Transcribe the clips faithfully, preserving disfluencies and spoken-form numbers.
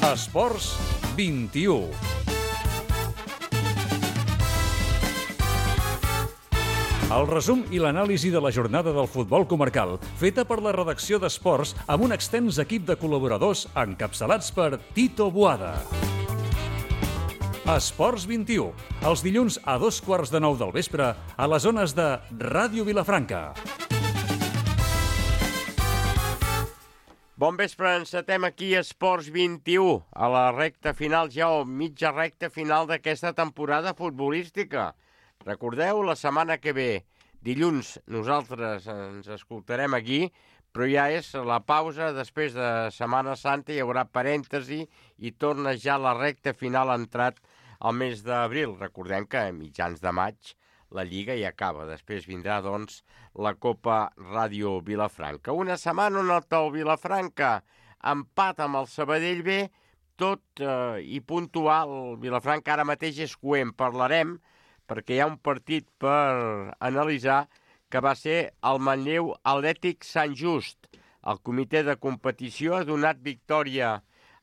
Esports vint-i-u. El resum i l'anàlisi de la jornada del futbol comarcal, feta per la redacció d'Esports amb un extens equip de col·laboradors encapçalats per Tito Boada. Esports vint-i-u, els dilluns a dos quarts de nou del vespre a les zones de Ràdio Vilafranca. Bon vespre, encetem aquí Esports vint-i-u, a la recta final ja o mitja recta final d'aquesta temporada futbolística. Recordeu, la setmana que ve, dilluns, nosaltres ens escoltarem aquí, però ja és la pausa, després de Setmana Santa hi haurà parèntesi i torna ja la recta final entrat al mes d'abril. Recordem que a mitjans de maig la Lliga ja acaba, després vindrà, doncs, la Copa Ràdio Vilafranca. Una setmana on el Tau Vilafranca empat amb el Sabadell B, tot eh, i puntual. Vilafranca ara mateix és coent, parlarem, perquè hi ha un partit per analitzar que va ser el Manlleu Atlètic Sant Just. El comitè de competició ha donat victòria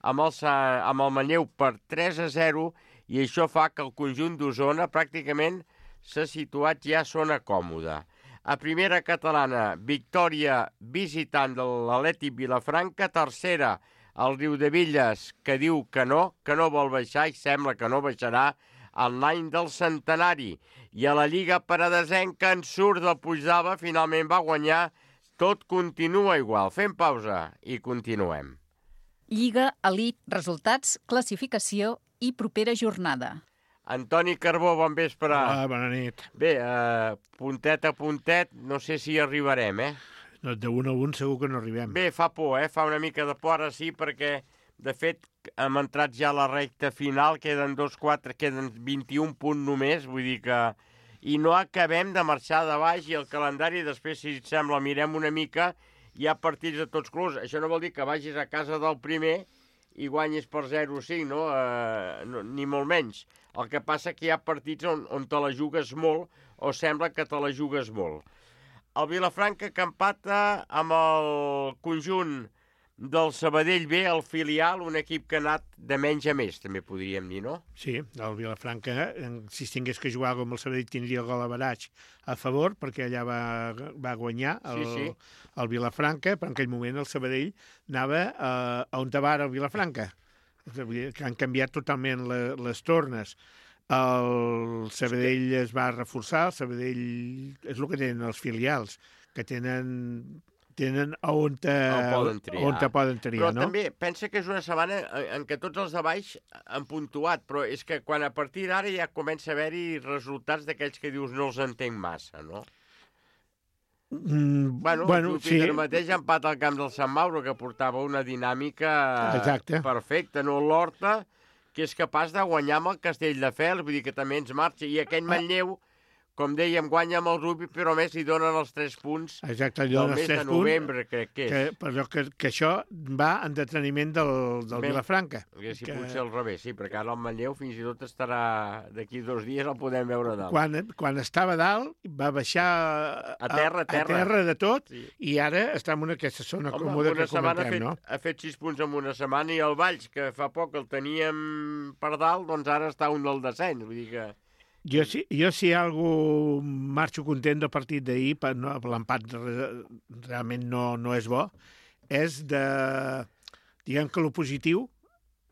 amb el, amb el Manlleu per tres a zero i això fa que el conjunt d'Osona pràcticament s'ha situat ja a zona còmoda. A primera catalana, victòria visitant de l'Atlètic Vilafranca. Tercera, el Riudebitlles, que diu que no, que no vol baixar i sembla que no baixarà en l'any del centenari. I a la Lliga Paradesenca en surt del Puigdava, finalment va guanyar. Tot continua igual. Fem pausa i continuem. Lliga, Elit, resultats, classificació i propera jornada. Antoni Carbó, bon vespre. Hola, bona nit. Bé, eh, puntet a puntet, no sé si arribarem, eh? No, de un a un segur que no arribem. Bé, fa por, eh? Fa una mica de por, ara sí, perquè, de fet, hem entrat ja a la recta final, queden dos, quatre, queden vint-i-un punts només, vull dir que... I no acabem de marxar de baix i el calendari, després, si et sembla, mirem una mica, hi ha partits de tots colors. Això no vol dir que vagis a casa del primer i guanyis per zero a cinc, no? Eh, no? Ni molt menys. El que passa que hi ha partits on, on te la jugues molt o sembla que te la jugues molt. El Vilafranca que empata amb el conjunt del Sabadell B, el filial, un equip que ha anat de menys a més, també podríem dir, no? Sí, el Vilafranca, si es tingués que jugar com el Sabadell, tindria el gol average a favor, perquè allà va, va guanyar el, sí, sí. el Vilafranca, però en aquell moment el Sabadell anava a, a on va el Vilafranca. Que han canviat totalment le, les tornes. El Sabadell es va reforçar, el Sabadell és el que tenen els filials, que tenen... tenen on te, poden triar. On te poden triar, però no? també pensa que és una setmana en què tots els de baix han puntuat, però és que quan a partir d'ara ja comença a haver-hi resultats d'aquells que dius no els entenc massa, no? Mm, bueno, bueno, el sí. mateix empat al camp del Sant Mauro, que portava una dinàmica Exacte. perfecta, no? L'Horta, que és capaç de guanyar amb el Castelldefels, vull dir que també ens marxa, i aquell Manlleu, com dèiem, guanya amb el Rubi, però a més li donen els tres punts Exacte, del mes de novembre, crec que és. Que, però que, que això va en deteniment del, del Bé, Vilafranca. Que si que... potser al revés, sí, perquè ara el Manlleu fins i tot estarà d'aquí dos dies, el podem veure dalt. Quan, quan estava dalt, va baixar a terra, a terra. A terra de tot, sí. I ara està en una, aquesta zona Home, còmoda que comentem, ha fet, no? ha fet sis punts en una setmana i el Valls, que fa poc el teníem per dalt, doncs ara està un del descens, vull dir que... Jo si, jo si algú marxo content del partit d'ahir, no, l'empat realment no, no és bo, és de... Diguem que el positiu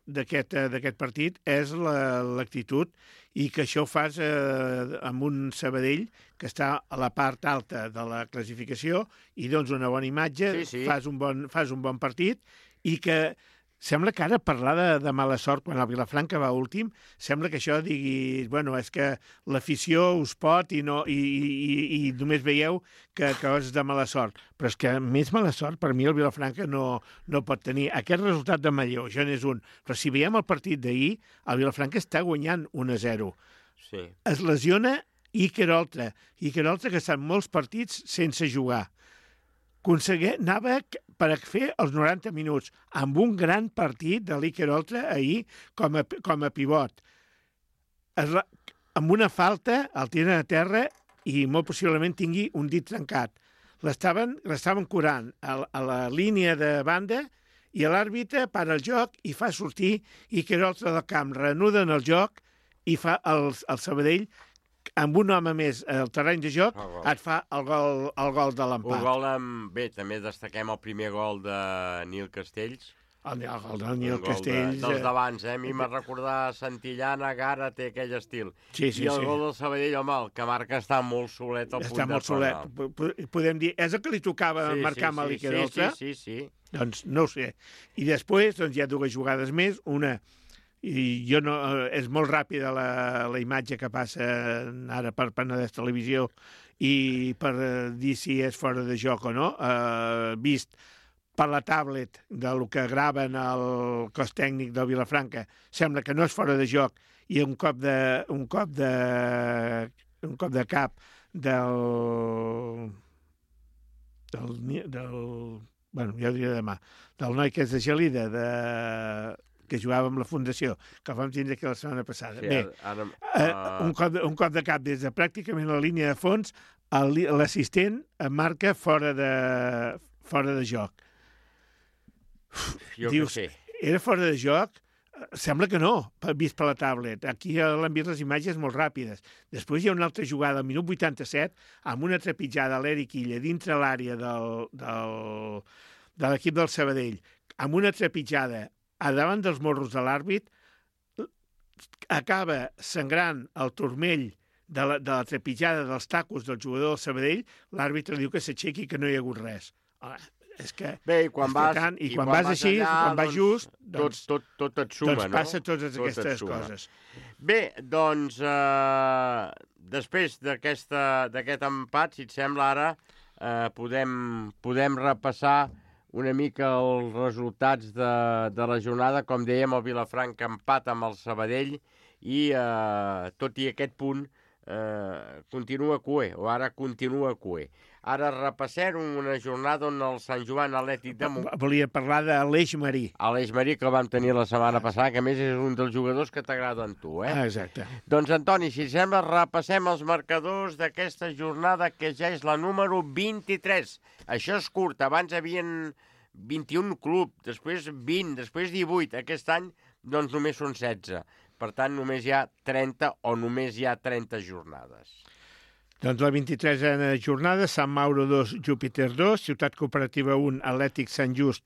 d'aquest d'aquest partit és l'actitud i que això ho fas eh, amb un Sabadell que està a la part alta de la classificació i dones una bona imatge, sí, sí. Fas, un bon, fas un bon partit i que... Sembla que ara parlar de, de mala sort quan el Vilafranca va últim, sembla que això digui, bueno, és que l'afició us pot i, no, i, i, i només veieu que, que és de mala sort. Però és que més mala sort per mi el Vilafranca no, no pot tenir. Aquest resultat de Manlleu, això n'és un. Però si veiem el partit d'ahir, el Vilafranca està guanyant un a zero. Sí. Es lesiona Iker Oltra. Iker Oltra que està en molts partits sense jugar. Aconseguia, anava per fer els noranta minuts amb un gran partit de l'Iker Oltra ahir com a, com a pivot. Es, amb una falta el tiren a terra i molt possiblement tingui un dit trencat. L'estaven curant a, a la línia de banda I l'àrbitre para el joc i fa sortir i que l'altre del camp reanuda en el joc i fa el, el Sabadell amb un home més al terreny de joc et fa el gol, el gol de l'empat. Un gol amb... Bé, també destaquem el primer gol de Nil Castells. El, el gol de Nil Castells... De, dels d'abans, eh? A mi m'ha recordar Santillana, Gara, té aquell estil. Sí, sí, I el sí. gol del Sabadell, home, el que marca està molt solet al punt està molt solet. Podem dir, és el que li tocava sí, marcar sí, amb sí, l'Iker Oltra? Sí, sí, sí, sí. Doncs no ho sé. I després doncs, hi ha dues jugades més. Una, i jo no, és molt ràpida la, la imatge que passa ara per Penedès Televisió i per dir si és fora de joc o no, eh, vist per la tablet del que graven el cos tècnic del Vilafranca, sembla que no és fora de joc i un cop de, un cop de, un cop de cap del, del, del bueno, ja ho diré demà, del noi que és de Gelida, de, que jugava amb la Fundació, que el vam tindre aquí la setmana passada. Sí, Bé, ara, uh... eh, un, cop de, un cop de cap des de pràcticament la línia de fons, l'assistent marca fora de, fora de joc. Jo Dius, que sé. Era fora de joc? Sembla que no, vist per la tablet. Aquí l'han vist les imatges molt ràpides. Després hi ha una altra jugada al minut vuitanta-set amb una trepitjada a l'Eric Illa dintre l'àrea del, del, de l'equip del Sabadell, amb una trepitjada a davant dels morros de l'àrbit, acaba sangrant el turmell de la, de la trepitjada dels tacos del jugador del Sabadell, l'àrbitre diu que s'aixequi i que no hi ha hagut res. Home, és que... Bé, i quan vas, tant, i i quan, quan vas vas així, allà, quan vas doncs, just, doncs, tot, tot, tot et suma, doncs no? passa totes Tot aquestes coses. Bé, doncs, eh, després d'aquest empat, si et sembla ara, eh, podem, podem repassar una mica els resultats de, de la jornada. Com dèiem, el Vilafranca empat amb el Sabadell i, eh, tot i aquest punt, eh, continua cué, o ara continua cué. Ara repassem una jornada on el Sant Joan Atlètic de Montcada... Volia parlar de l'Eix Marí. Aleix Marí, que el vam tenir la setmana passada, que a més és un dels jugadors que t'agrada a tu, eh? Ah, exacte. Doncs, Antoni, si sembla, repassem els marcadors d'aquesta jornada, que ja és la número vint-i-tres. Això és curt, abans hi havia vint-i-un clubs, després vint, després divuit. Aquest any, doncs, només són setze. Per tant, només hi ha trenta o només hi ha trenta jornades. Doncs la vint-i-tresena jornada, Sant Mauro dos, Júpiter dos, Ciutat Cooperativa un, Atlètic Sant Just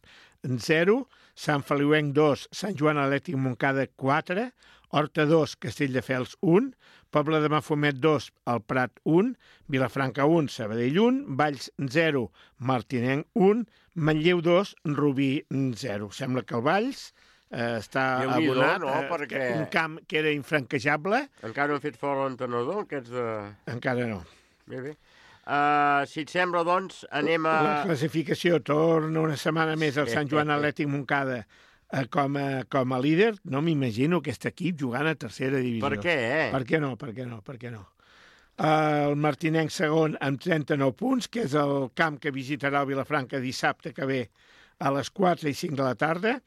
zero, Sant Feliuenc dos, Sant Joan Atlètic Montcada quatre, Horta dos, Castelldefels un, Pobla de Mafumet dos, El Prat un, Vilafranca un, Sabadell un, Valls zero, Martinenc un, Manlleu dos, Rubí zero. Sembla que el Valls eh, està abonat, no? eh, Perquè... un camp que era infranquejable. Encara no han fet fora l'entrenador, aquests de... Encara no. Bé, bé. Uh, si et sembla, doncs, anem a... La classificació torna una setmana més al Sant Joan Atlètic Montcada eh, com, a, com a líder. No m'imagino aquest equip jugant a tercera divisió. Per què, eh? Per què no? Per què no? Per què no? El Martinenc segon amb trenta-nou punts, que és el camp que visitarà el Vilafranca dissabte que ve a les quatre i cinc de la tarda.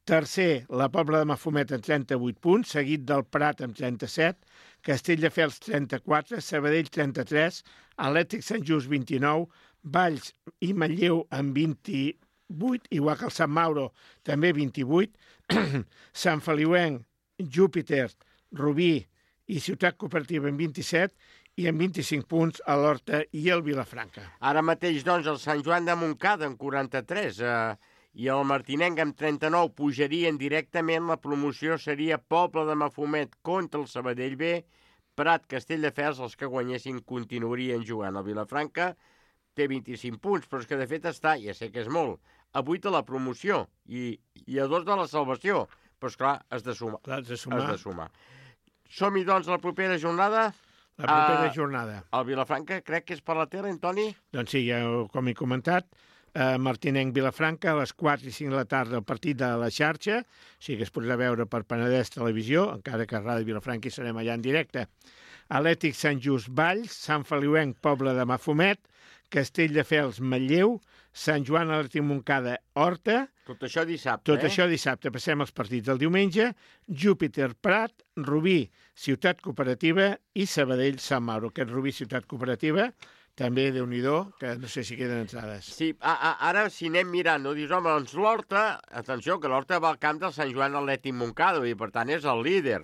Tercer, la Pobla de Mafumet amb trenta-vuit punts, seguit del Prat amb trenta-set, Castelldefels trenta-quatre, Sabadell trenta-tres, Atlètic Sant Just vint-i-nou, Valls i Manlleu amb vint-i-vuit, igual que el Sant Mauro també vint-i-vuit, Sant Feliuenc, Júpiter, Rubí i Ciutat Cooperativa amb vint-i-set i amb vint-i-cinc punts a l'Horta i el Vilafranca. Ara mateix, doncs, el Sant Joan de Montcada amb quaranta-tres eh, i el Martinenc amb trenta-nou pujarien directament. La promoció seria Pobla de Mafumet contra el Sabadell B, Prat, Castelldefels, els que guanyessin continuarien jugant. El Vilafranca té vint-i-cinc punts, però és que de fet està, ja sé que és molt, a vuit de la promoció i, i a dos de la salvació. Però, esclar, has de sumar. Clar, has de sumar. Has de sumar. Som-hi, doncs, a la propera jornada. La propera uh, jornada. El Vilafranca crec que és per la tele, Antoni? Doncs sí, ja, com he comentat, eh, Martinenc-Vilafranca a les quatre i cinc de la tarda el partit de la xarxa, o sigui que es podrà veure per Penedès Televisió, encara que a Ràdio Vilafranca hi serem allà en directe. Atlètic Sant Just Valls, Sant Feliuenc Pobla de Mafumet, Castelldefels Manlleu, Sant Joan Atlètic Montcada Horta. Tot això dissabte, Tot eh? això dissabte. Passem els partits del diumenge. Júpiter Prat, Rubí Ciutat Cooperativa i Sabadell Sant Mauro. Aquest Rubí Ciutat Cooperativa també Déu-n'hi-do, que no sé si queden entrades. Sí, a, a, ara si anem mirant, no dius, home, doncs l'Horta, atenció, que l'Horta va al camp del Sant Joan Atlètic Montcada, i per tant és el líder.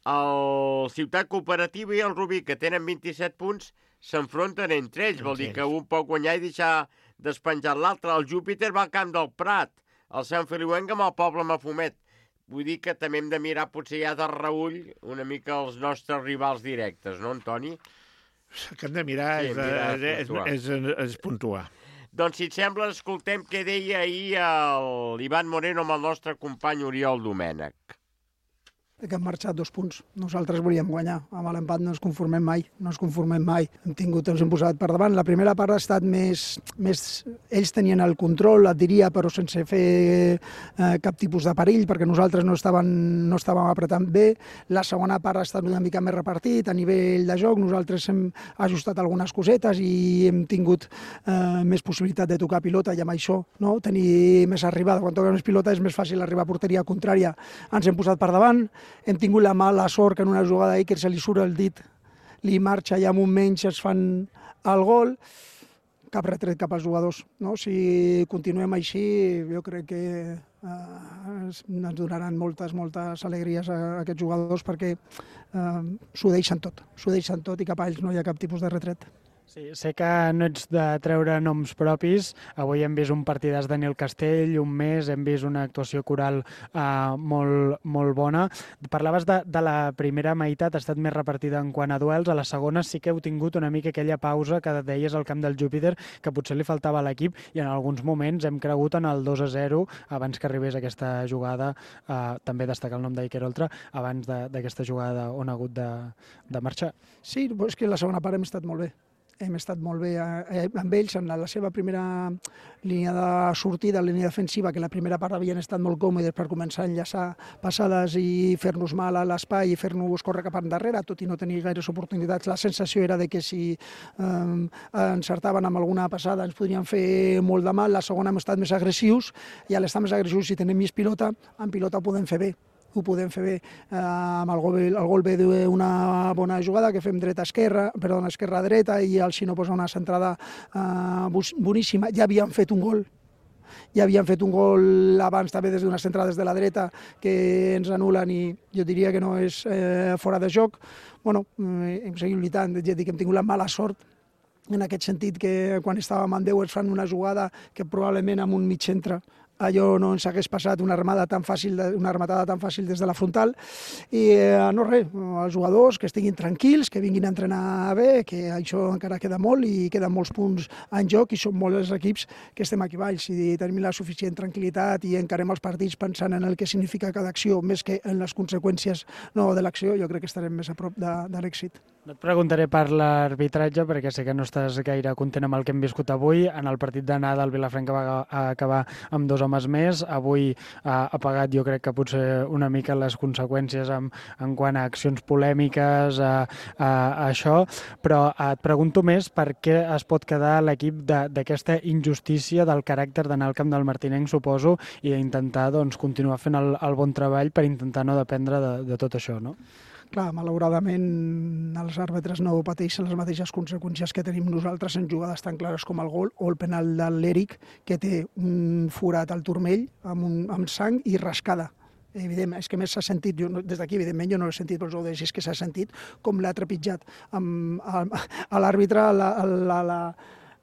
El Ciutat Cooperativa i el Rubí, que tenen vint-i-set punts, s'enfronten entre ells, vol dir que un pot guanyar i deixar despenjat l'altre. El Júpiter va al camp del Prat, el Sant Feliuenc amb el Poble Mafumet. Vull dir que també hem de mirar potser ja de reull una mica els nostres rivals directes, no, Antoni? El que hem de mirar, sí, és, mirar és, és, és, és puntuar. Doncs, si et sembla, escoltem què deia ahir l'Ivan Moreno amb el nostre company Oriol Domènech. Que han marxat dos punts. Nosaltres volíem guanyar. Amb l'empat no ens conformem mai. No ens conformem mai. Hem tingut, ens hem posat per davant. La primera part ha estat més... més ells tenien el control, et diria, però sense fer eh, cap tipus de perill, perquè nosaltres no estàvem, no estàvem apretant bé. La segona part ha estat una mica més repartit a nivell de joc. Nosaltres hem ajustat algunes cosetes i hem tingut eh, més possibilitat de tocar pilota i amb això, no? Tenir més arribada. Quan toques més pilota és més fàcil arribar a porteria contrària. Ens hem posat per davant. Hem tingut la mala sort que en una jugada ahir que se li surt el dit, li marxa i amb un menys es fan el gol. Cap retret cap als jugadors. No? Si continuem així, jo crec que eh, ens donaran moltes, moltes alegries a aquests jugadors perquè eh, s'ho deixen tot. S'ho deixen tot i cap a ells no hi ha cap tipus de retret. Sí, sé que no ets de treure noms propis. Avui hem vist un partidàs de Nil Castell, un mes, hem vist una actuació coral eh, molt, molt bona. Parlaves de, de la primera meitat, ha estat més repartida en quant a duels. A la segona sí que heu tingut una mica aquella pausa que deies al camp del Júpiter, que potser li faltava a l'equip, i en alguns moments hem cregut en el dos a zero abans que arribés aquesta jugada. Eh, també destacar el nom d'Iker Oltra abans d'aquesta jugada on ha hagut de, de marxar. Sí, és que la segona part hem estat molt bé. Hem estat molt bé eh, amb ells en la seva primera línia de sortida, línia defensiva, que la primera part havien estat molt còmodes per començar a enllaçar passades i fer-nos mal a l'espai i fer-nos córrer cap endarrere, tot i no tenir gaires oportunitats. La sensació era de que si eh, encertaven amb alguna passada ens podrien fer molt de mal. La segona hem estat més agressius i a l'estar més agressius, si tenem més pilota, amb pilota ho podem fer bé. ho podem fer bé eh, amb el gol, el gol ve d'una bona jugada que fem dreta-esquerra, perdona, esquerra-dreta, i el Xino posa una centrada eh, boníssima. Ja havíem fet un gol, ja havien fet un gol abans també des d'una centrada des de la dreta que ens anulen i jo diria que no és eh, fora de joc. Bueno, hem seguit lluitant, ja dic que hem tingut la mala sort en aquest sentit que quan estàvem en deu ens fan una jugada que probablement amb un mig centre allò no ens hagués passat una armada tan fàcil, una rematada tan fàcil des de la frontal. I eh, no res, els jugadors que estiguin tranquils, que vinguin a entrenar bé, que això encara queda molt i queden molts punts en joc i som molts els equips que estem aquí baix i tenim la suficient tranquil·litat i encarem els partits pensant en el que significa cada acció més que en les conseqüències no, de l'acció. Jo crec que estarem més a prop de, de l'èxit. No et preguntaré per l'arbitratge perquè sé que no estàs gaire content amb el que hem viscut avui. En el partit d'anada el Vilafranca va acabar amb dos homes més. Avui ha, ha pagat, jo crec que potser una mica les conseqüències en, en quant a accions polèmiques, a, a, a això, però et pregunto més per què es pot quedar l'equip d'aquesta injustícia del caràcter d'anar al camp del Martinenc, suposo, i intentar doncs, continuar fent el, el bon treball per intentar no dependre de, de tot això, no? Clar, malauradament els àrbitres no pateixen les mateixes conseqüències que tenim nosaltres en jugades tan clares com el gol o el penal de l'Eric, que té un forat al turmell amb, un, amb sang i rascada. Evidentment, és que més s'ha sentit, jo, des d'aquí evidentment jo no l'he sentit, però us ho deixo, és que s'ha sentit com l'ha trepitjat amb, a, a l'àrbitre la, la, la,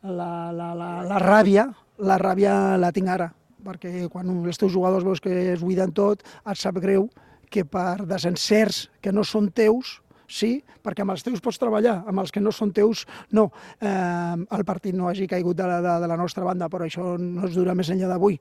la, la, la, la ràbia, la ràbia la tinc ara, perquè quan els teus jugadors veus que es buiden tot, et sap greu que per desencerts que no són teus, sí, perquè amb els teus pots treballar, amb els que no són teus, no. Eh, el partit no hagi caigut de la, de, de la nostra banda, però això no es dura més enllà d'avui.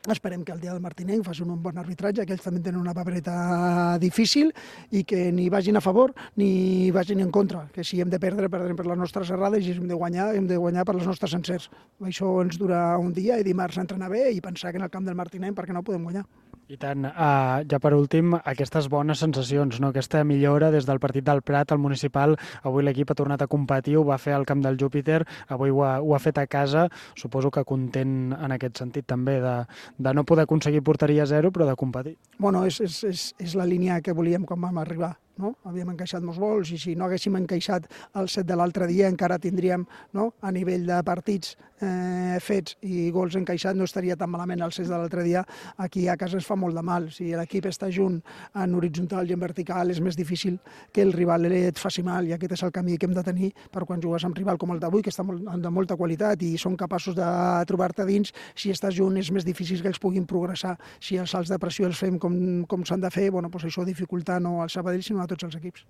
Esperem que el dia del Martinenc facin un bon arbitratge, que ells també tenen una papereta difícil i que ni vagin a favor ni vagin en contra, que si hem de perdre, perdrem per les nostres errades i si hem de guanyar, hem de guanyar per les nostres encerts. Això ens dura un dia i dimarts entrenar bé i pensar que en el camp del Martinenc perquè no podem guanyar. I tant. Uh, ja per últim, aquestes bones sensacions, no? Aquesta millora des del partit del Prat al municipal. Avui l'equip ha tornat a competir, ho va fer al camp del Júpiter, avui ho ha, ho ha fet a casa. Suposo que content en aquest sentit també de, de no poder aconseguir porteria zero, però de competir. Bueno, és, és, és, és la línia que volíem quan vam arribar. no? Havíem encaixat molts gols i si no haguéssim encaixat el set de l'altre dia encara tindríem, no? A nivell de partits eh, fets i gols encaixats no estaria tan malament el set de l'altre dia. Aquí a casa es fa molt de mal. Si l'equip està junt en horitzontal i en vertical és més difícil que el rival et faci mal i aquest és el camí que hem de tenir per quan jugues amb rival com el d'avui, que està molt, de molta qualitat i són capaços de trobar-te dins. Si estàs junt és més difícil que els puguin progressar. Si els salts de pressió els fem com, com s'han de fer, bueno, doncs això dificulta no al Sabadell sinó a tots els equips.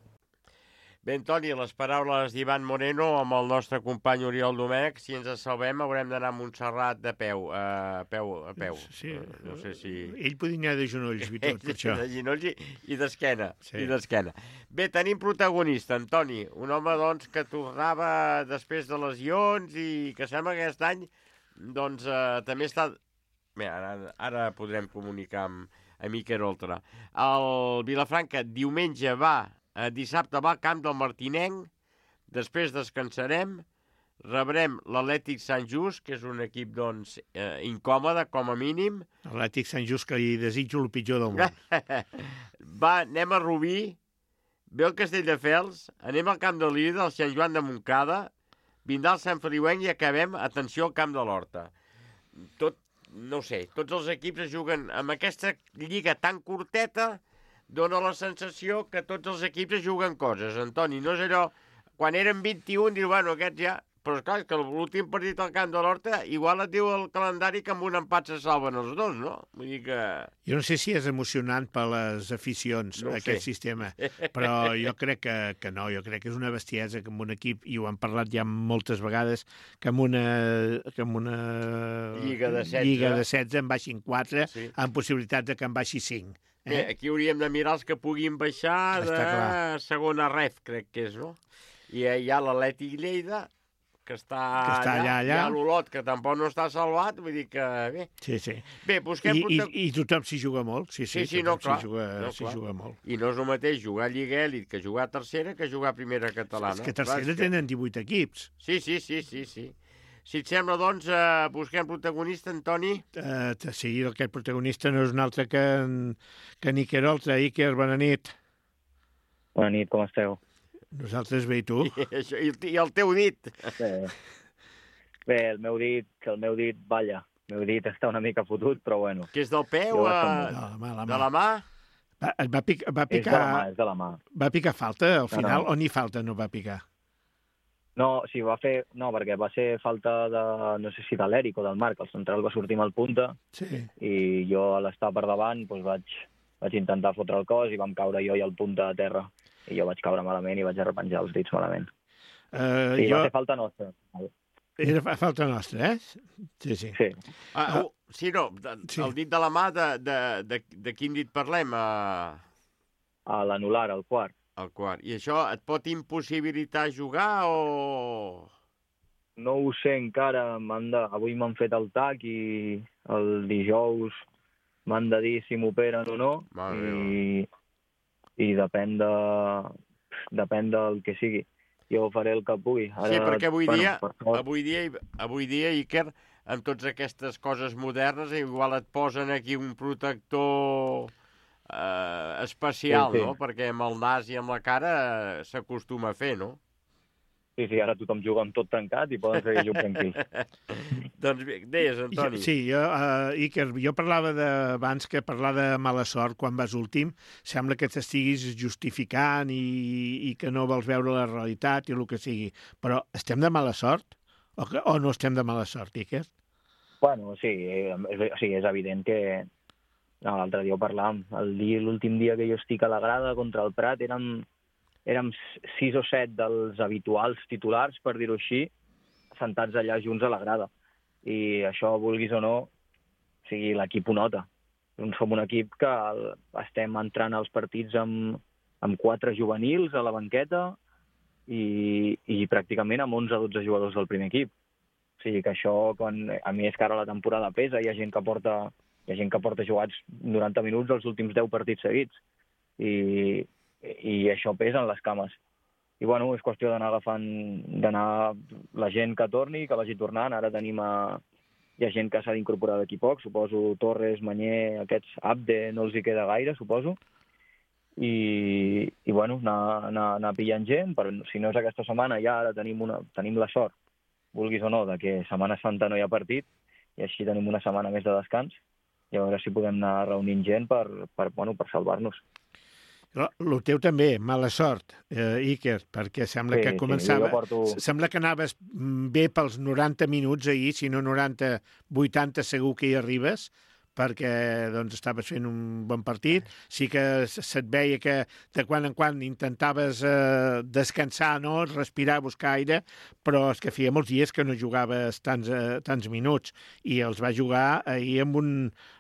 Bé, Antoni, les paraules d'Ivan Moreno amb el nostre company Oriol Domènech. Si ens salvem haurem d'anar a Montserrat de peu, a peu, a peu. Sí, no sé si... Ell podria anar de genolls i tot, per això. De genolls i, i d'esquena. Sí. I d'esquena. Bé, tenim protagonista, Antoni, un home doncs, que tornava després de lesions i que sembla que aquest any doncs, eh, també està... Bé, ara, ara podrem comunicar amb, amb Iker Oltra. El Vilafranca diumenge va... Dissabte va al camp del Martinenc, després descansarem, rebrem l'Atlètic Sant Just, que és un equip doncs, eh, incòmode, com a mínim. L'Atlètic Sant Just, que li desitjo el pitjor del món. Va, anem a Rubí, ve el Castelldefels, anem al camp de l'Ida, al Sant Joan de Montcada, vindrà el Sant Feliuenc i acabem, atenció, al camp de l'Horta. Tot, no sé, tots els equips es juguen amb aquesta lliga tan curteta. Dóna la sensació que tots els equips juguen coses. Antoni, no és allò... Quan eren vint-i-un, diu, bueno, aquests ja... Però, esclar, que l'últim partit al camp de l'Horta, igual et diu el calendari que amb un empat se salven els dos, no? Vull dir que... Jo no sé si és emocionant per les aficions, no aquest sé. Sistema, però jo crec que, que no, jo crec que és una bestiesa que amb un equip, i ho hem parlat ja moltes vegades, que amb una, que amb una lliga de setze, lliga de setze en baixin quatre, sí. Amb possibilitat de que en baixi cinc. Bé, aquí hauríem de mirar els que puguin baixar de clar. Segona ref, crec que és, no? I hi ha l'Atlètic Lleida, que està, que està allà, allà. Hi ha l'Olot, que tampoc no està salvat, vull dir que bé. Sí, sí. Bé, busquem... I, i, i tothom s'hi juga molt. Sí, sí, sí, sí no, clar. S'hi juga, no, clar. juga molt. I no és el mateix jugar a Lliga Èlit que jugar a tercera que jugar a primera catalana. És que tercera clar, tenen divuit equips. Sí, sí, sí, sí, sí. Si et sembla, doncs, eh, busquem protagonista, Antoni? Uh, sí, aquest protagonista no és un altre que, que en Iker Oltra. Iker, bona nit. Bona nit, com esteu? Nosaltres bé, i tu? I, això, i, I el teu dit? Bé, bé el meu dit, que el meu dit, balla. El meu dit està una mica fotut, però bueno. Que és del peu? Jo, A... De la mà, la mà. De la mà? Va, et va, pic, va picar... És de la mà, és de la mà. Va picar falta al final no, no. o ni falta no va picar? No, sí, va fer... No, perquè va ser falta de... No sé si de l'Eric o del Marc. El central va sortir mal punta sí. I jo a l'estar per davant doncs vaig, vaig intentar fotre el cos i vam caure jo i el punta a terra. I jo vaig caure malament i vaig arrepenjar els dits malament. Uh, sí, jo... va ser falta nostra. Era falta nostra, eh? Sí, sí. Sí, ah, uh, sí no, de, sí. El dit de la mà, de, de, de, de quin dit parlem? Uh... A l'anular, al quart. El quart. I això et pot impossibilitar jugar o...? No ho sé encara. De... Avui m'han fet el tac i el dijous m'han de dir si m'operen o no. I... I depèn de... depèn del que sigui. Jo faré el que pugui. Ara, sí, perquè avui bueno, dia, per avui dia, avui dia, Iker, amb totes aquestes coses modernes, igual et posen aquí un protector... Uh, especial, sí, sí. No? Perquè amb el nas i amb la cara uh, s'acostuma a fer, no? Sí, sí, ara tothom juga amb tot tancat i poden seguir jugant tranquils. Doncs bé, deies, Antoni. Sí, jo, uh, Iker, jo parlava de, abans que parlar de mala sort quan vas últim, sembla que t'estiguis justificant i, i que no vols veure la realitat i el que sigui. Però estem de mala sort? O, que, o no estem de mala sort, Iker? Bueno, sí, és, sí, és evident que... No, l'altre dia ho parlàvem. L'últim dia que jo estic a la grada contra el Prat érem, érem sis o set dels habituals titulars, per dir-ho així, sentats allà junts a la grada. I això, vulguis o no, o sigui, l'equip ho nota. Som un equip que estem entrant als partits amb, amb quatre juvenils a la banqueta i, i pràcticament amb onze o dotze jugadors del primer equip. O sigui que això, quan, a mi és que ara la temporada pesa, hi ha gent que porta... Hi ha gent que porta jugats noranta minuts els últims deu partits seguits. I, i això pesa en les cames. I bueno, és qüestió d'anar agafant, d'anar la gent que torni, que vagi tornant. Ara tenim a... Hi ha gent que s'ha d'incorporar d'aquí poc, suposo Torres, Manyer, aquests Abde, no els hi queda gaire, suposo. i, i bueno, anar, anar, anar pillant gent, però si no és aquesta setmana ja ara tenim, una, tenim la sort, vulguis o no, de que Setmana Santa no hi ha partit, i així tenim una setmana més de descans, i a veure si podem anar reunint gent per, per, bueno, per salvar-nos. El teu també, mala sort, eh, Iker, perquè sembla Sí, que sí, començava... jo porto- Sembla que anaves bé pels noranta minuts ahir, si no noranta, vuitanta segur que hi arribes, perquè doncs, estaves fent un bon partit. Sí que se't veia que de quan en quan intentaves eh, descansar, no? Respirar, buscar aire, però és que feia molts dies que no jugaves tants, eh, tants minuts i els va jugar ahir amb un,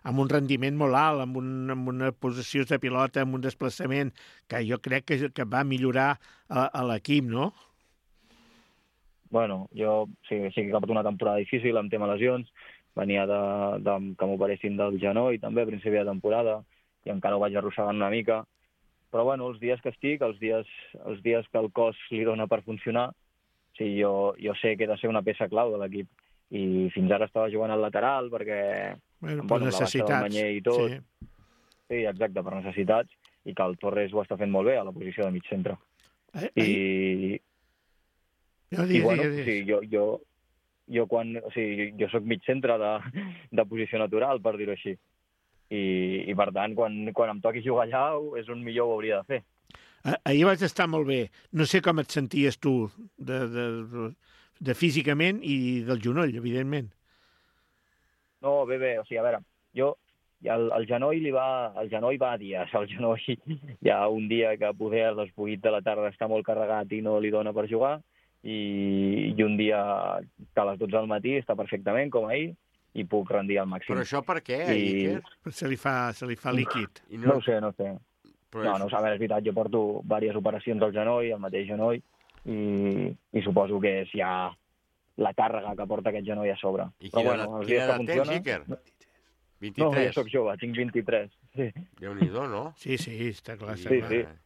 amb un rendiment molt alt, amb, un, amb una possessió de pilota, amb un desplaçament que jo crec que, que va millorar a, a l'equip, no? Bueno, jo sí, sí que he acabat una temporada difícil amb tema lesions, venia de, de que m'operessin del genoll també a principi de temporada i encara ho vaig arrossegant una mica. Però bueno, els dies que estic, els dies, els dies que el cos li dona per funcionar, sí, jo, jo sé que he de ser una peça clau de l'equip. I fins ara estava jugant al lateral perquè... Bueno, per bueno, necessitats. I tot. Sí. Sí, exacte, per necessitats, i que el Torres ho està fent molt bé a la posició de mig centre. Eh, I, no, i digues, bueno, digues. sí, jo, jo, jo, quan, o sigui, jo soc mig centre de, de posició natural, per dir-ho així. I, i per tant, quan, quan em toqui jugar allà, és on millor ho hauria de fer. Ah, ahir vas estar molt bé. No sé com et senties tu de, de, de, de físicament i del genoll, evidentment. No, bé, bé, o sigui, a veure, jo el, el genoll li va, el genoll va a dies, el genoll hi ha un dia que poder a les vuit de la tarda està molt carregat i no li dona per jugar, i, i un dia que a les dotze del matí està perfectament, com ahir, i puc rendir al màxim. Però això per què, I... Iker? Se li fa, se li fa líquid. I No ho sé, no ho sé. Però No, és- no ho sé, a veure, és veritat, jo porto diverses operacions al genoll, al mateix genoll, i, i suposo que és ja la càrrega que porta aquest genoll a sobre. I Però quina bueno, edat- els quina dies que edat tens, funciona... Iker? No, vint-i-tres? jo soc jove, tinc vint-i-tres. Sí, Déu-n'hi-do, no? Sí, sí, està clar. Està Sí, clar. sí.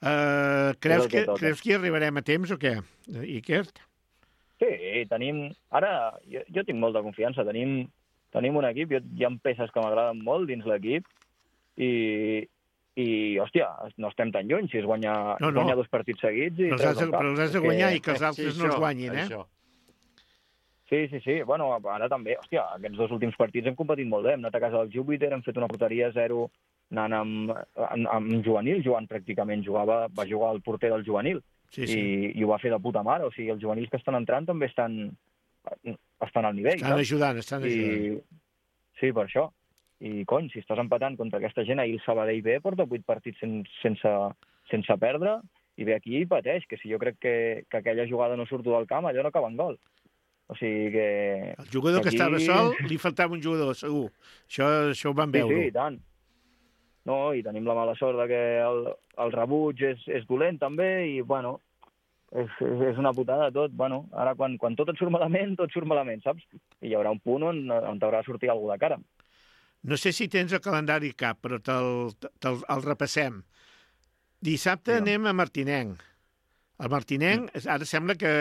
Uh, creus, És el que que, toca. creus que hi arribarem a temps o què, Iker? Sí, tenim... Ara, jo, jo tinc molta confiança. Tenim, tenim un equip, jo, hi ha peces que m'agraden molt dins l'equip, i, i, hòstia, no estem tan lluny. Si es guanya, No, no. guanya dos partits seguits... I Però els treus has de, el cap. però els has de És guanyar que- i que els altres no els guanyin, eh? Això. Sí, sí, sí. Bueno, ara també, hòstia, aquests dos últims partits hem competit molt bé. Hem anat a casa del Júpiter, hem fet una porteria zero anant amb, amb, amb juvenil, jugant pràcticament. Jugava, va jugar el porter del juvenil. Sí, sí. I, i ho va fer de puta mare. O sigui, els juvenils que estan entrant també estan, estan al nivell. Estan saps? ajudant, estan ajudant. I, sí, per això. I, cony, si estàs empatant contra aquesta gent, ahir el Sabadell B porta vuit partits sen, sense, sense perdre, i ve aquí i pateix, que si jo crec que, que aquella jugada no surto del camp, allò no acaba en gol. O sigui que... El jugador que aquí- estava sol, li faltava un jugador, segur. Això, això ho vam Sí, veure. sí, i tant. No, i tenim la mala sort de que el, el rebuig és, és dolent també, i, bueno, és, és, és una putada tot. Bueno, ara quan, quan tot et surt malament, tot surt malament, saps? I hi haurà un punt on, on t'haurà de sortir alguna de cara. No sé si tens el calendari cap, però te'l te el repassem. Dissabte Digue'm. anem a Martinenc. El Martinenc, ara sembla que,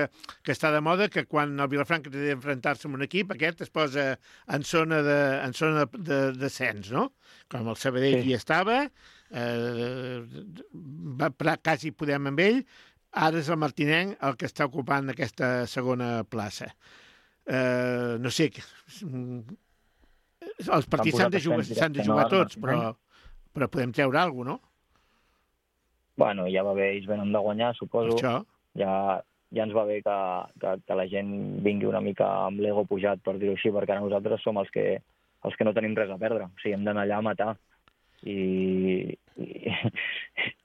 que està de moda que quan el Vilafranca té d'enfrontar-se amb un equip, aquest es posa en zona de, en zona de, de descens, no? Com el Sabadell Sí. hi estava, eh, va, pra- quasi podem amb ell, ara és el Martinenc el que està ocupant aquesta segona plaça. Eh, no sé, els partits s'han de jugar, accent s'han de directe, jugar no, tots, al però, però podem treure alguna cosa, no? Bueno, ja va bé, ells venen de guanyar, Per suposo. això, Ja, ja ens va bé que, que, que la gent vingui una mica amb l'ego pujat, per dir-ho així, perquè ara nosaltres som els que, els que no tenim res a perdre. O sigui, hem d'anar allà a matar. I, i,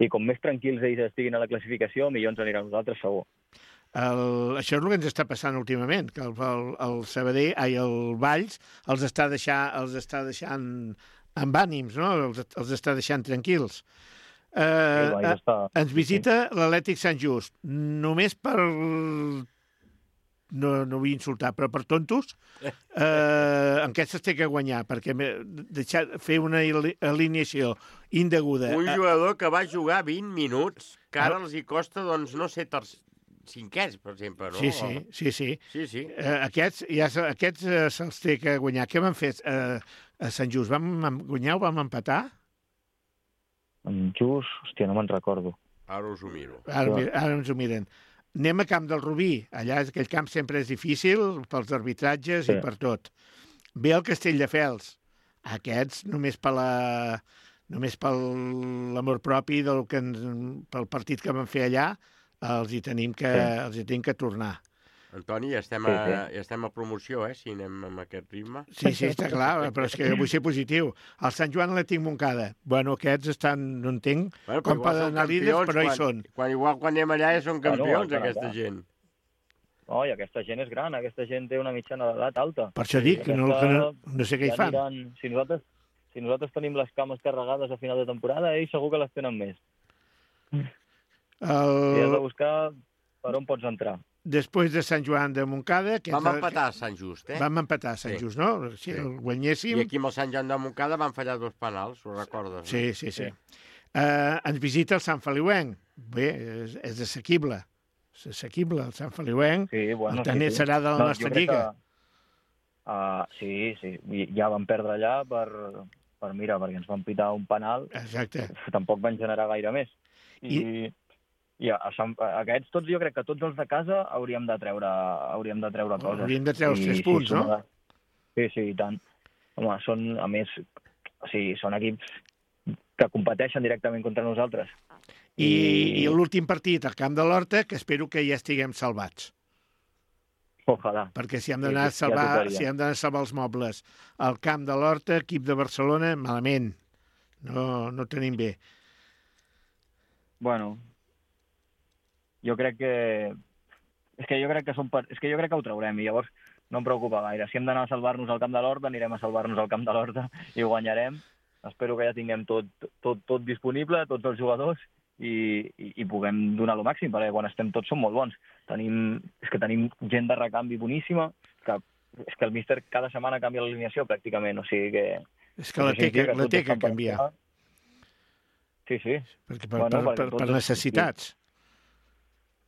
i com més tranquils ells estiguin a la classificació, millor ens anirà a nosaltres, segur. el, això és el que ens està passant últimament, que el, el, el Sabadell, ai, el Valls, els està, deixar, els està deixant amb ànims, no? Els, els està deixant tranquils. Eh, El Valls eh, està... ens visita l'Atlètic Sant Just, només per... No, no vull insultar, però per tontos, eh, en aquestes té que guanyar, perquè me- deixar, fer una ali- alineació indeguda... Un eh, jugador que va jugar vint minuts, que ara els hi costa, doncs, no sé, ter... cinquens, per exemple, no? Sí, sí, sí, sí. Sí, sí. Eh, aquests ja, se- aquests eh, se'ls té que guanyar. Què van fer eh, a Sant Just? Vam em- guanyar o vam empatar? En Just, hòstia, no me'n recordo. Ara us ho miro. Ara, ara ens ho miren. Anem a Camp del Rubí. Allà aquell camp sempre és difícil pels arbitratges sí. i per tot. Ve el Castelldefels. Aquests, només per la... només per l'amor propi del que ens, pel partit que vam fer allà, els hi tenim que, sí. els hi tenim que tornar. Antoni, ja estem, a, sí, sí. ja estem a promoció, eh, si anem amb aquest ritme. Sí, sí, està clar, però és que vull ser positiu. El Sant Joan l'Atlètic Montcada. Bueno, aquests estan, no entenc bueno, com poden anar líders, però quan, hi són. Quan, igual quan anem allà ja són campions, bueno, aquesta gent. Oh, i aquesta gent és gran, aquesta gent té una mitjana d'edat alta. Per això dic, que no, que no, no sé què hi fan. Aniran, si, nosaltres, si nosaltres tenim les cames carregades a final de temporada, ells segur que les tenen més. El... I has de buscar per on pots entrar. Després de Sant Joan de Montcada... Vam empatar a Sant Just, eh? Vam empatar a Sant sí. Just, no? Si sí. el guanyéssim... I aquí amb el Sant Joan de Montcada van fallar dos penals, ho recordes? Sí, sí, sí. sí. Uh, ens visita el Sant Feliuenc. Bé, és, és assequible. És assequible, el Sant Feliuenc. Sí, bueno, el tenir sí, sí. serà de la no, nostra lliga. Que, uh, sí, sí. Ja vam perdre allà per, per, mira, perquè ens van pitar un penal. Exacte. Tampoc van generar gaire més. I... I... I a, a, a aquests, tots, jo crec que tots els de casa hauríem de treure, hauríem de treure coses. Hauríem de treure els tres I, punts, sí, no? Sí, sí, i tant. Home, són, a més, o sigui, són equips que competeixen directament contra nosaltres. I, I, i l'últim partit al Camp de l'Horta, que espero que ja estiguem salvats. Ojalà. Perquè si hem d'anar sí, a salvar, ja si hem d'anar a salvar els mobles al Camp de l'Horta, equip de Barcelona, malament. No, no tenim bé. Bueno... Jo crec que... És que jo crec que, som per... és que jo crec que ho traurem i llavors no em preocupa gaire. Si hem d'anar a salvar-nos al Camp de l'Horta, anirem a salvar-nos al Camp de l'Horta i ho guanyarem. Espero que ja tinguem tot, tot, tot disponible, tots els jugadors, i, i, i puguem donar el màxim, perquè quan estem tots som molt bons. Tenim, és que tenim gent de recanvi boníssima, que, és que el míster cada setmana canvia l'alineació pràcticament, o sigui que... És que la té que, la té que canviar. Sí, sí. Perquè per, bueno, per, per, per necessitats.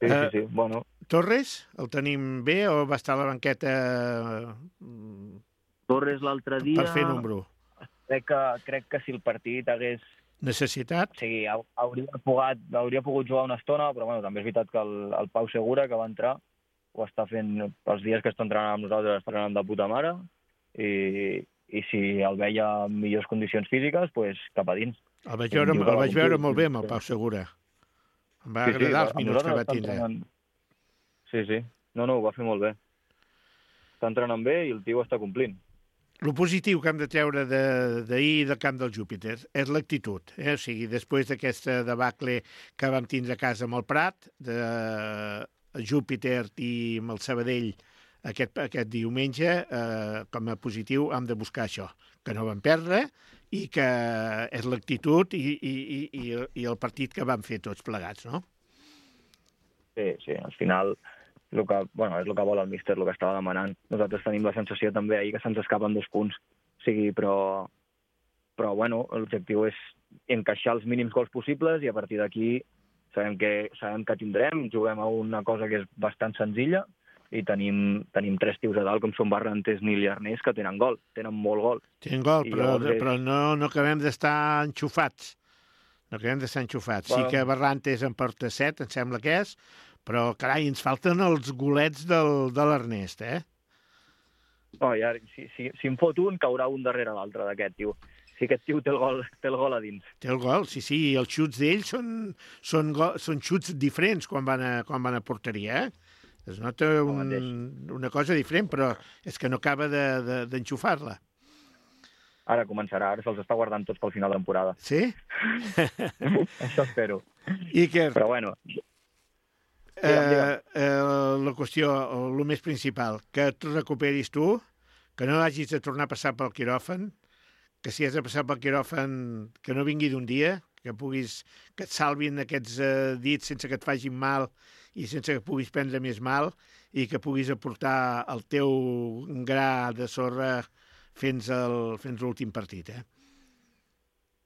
Sí, sí, sí. Bueno. Torres, el tenim bé o va estar a la banqueta Torres l'altre dia... per fer número? Crec que, crec que si el partit hagués... Necessitat? Sí, hauria pogut, hauria pogut jugar una estona, però bueno, també és veritat que el, el Pau Segura, que va entrar, ho està fent els dies que està entrenant amb nosaltres, està anant de puta mare, i, i si el veia en millors condicions físiques, doncs pues, cap a dins. El vaig veure, el vaig veure molt bé amb el Pau Segura. Em va sí, agradar sí, els minuts que va tindre. Entrenant... Sí, sí. No, no, ho va fer molt bé. Està entrenant bé i el tio està complint. El positiu que hem de treure d'ahir del Camp del Júpiter és l'actitud. Eh? O sigui, després d'aquesta debacle que vam tindre a casa amb el Prat, de Júpiter i amb el Sabadell aquest, aquest diumenge, eh, com a positiu hem de buscar això, que no vam perdre, i que és l'actitud i, i, i, i el partit que vam fer tots plegats, no? Sí, sí, al final el que, bueno, és el que vol el míster, el que estava demanant. Nosaltres tenim la sensació també ahir que se'ns escapen dos punts, o sigui, però, però bueno, l'objectiu és encaixar els mínims gols possibles i a partir d'aquí sabem que, sabem que tindrem, juguem a una cosa que és bastant senzilla, i tenim, tenim tres tios a dalt, com són Barrantes, Nil i Arnés, que tenen gol, tenen molt gol. Tenen gol, I però, és... però no, no acabem d'estar enxufats. No acabem d'estar enxufats. Bueno. Sí que Barrantes en porta set, em sembla que és, però, carai, ens falten els golets del, de l'Ernest, eh? Oh, ja, si, si, si em fot un, caurà un darrere l'altre d'aquest, tio. Si aquest tio té el gol, té el gol a dins. Té el gol, sí, sí, i els xuts d'ells són, són, go, són xuts diferents quan van a, quan van a porteria, eh? Es nota un, una cosa diferent, però és que no acaba d'enxufar-la. De, de, ara començarà, ara se'ls està guardant tots pel final de temporada. Sí? Això espero. Iker, però bueno... Eh, eh, la qüestió, el més principal, que tu recuperis tu, que no hagis de tornar a passar pel quiròfan, que si has de passar pel quiròfan, que no vingui d'un dia, que puguis, que et salvin aquests eh, dits sense que et facin mal i sense que puguis prendre més mal i que puguis aportar el teu gra de sorra fins l'últim partit, eh?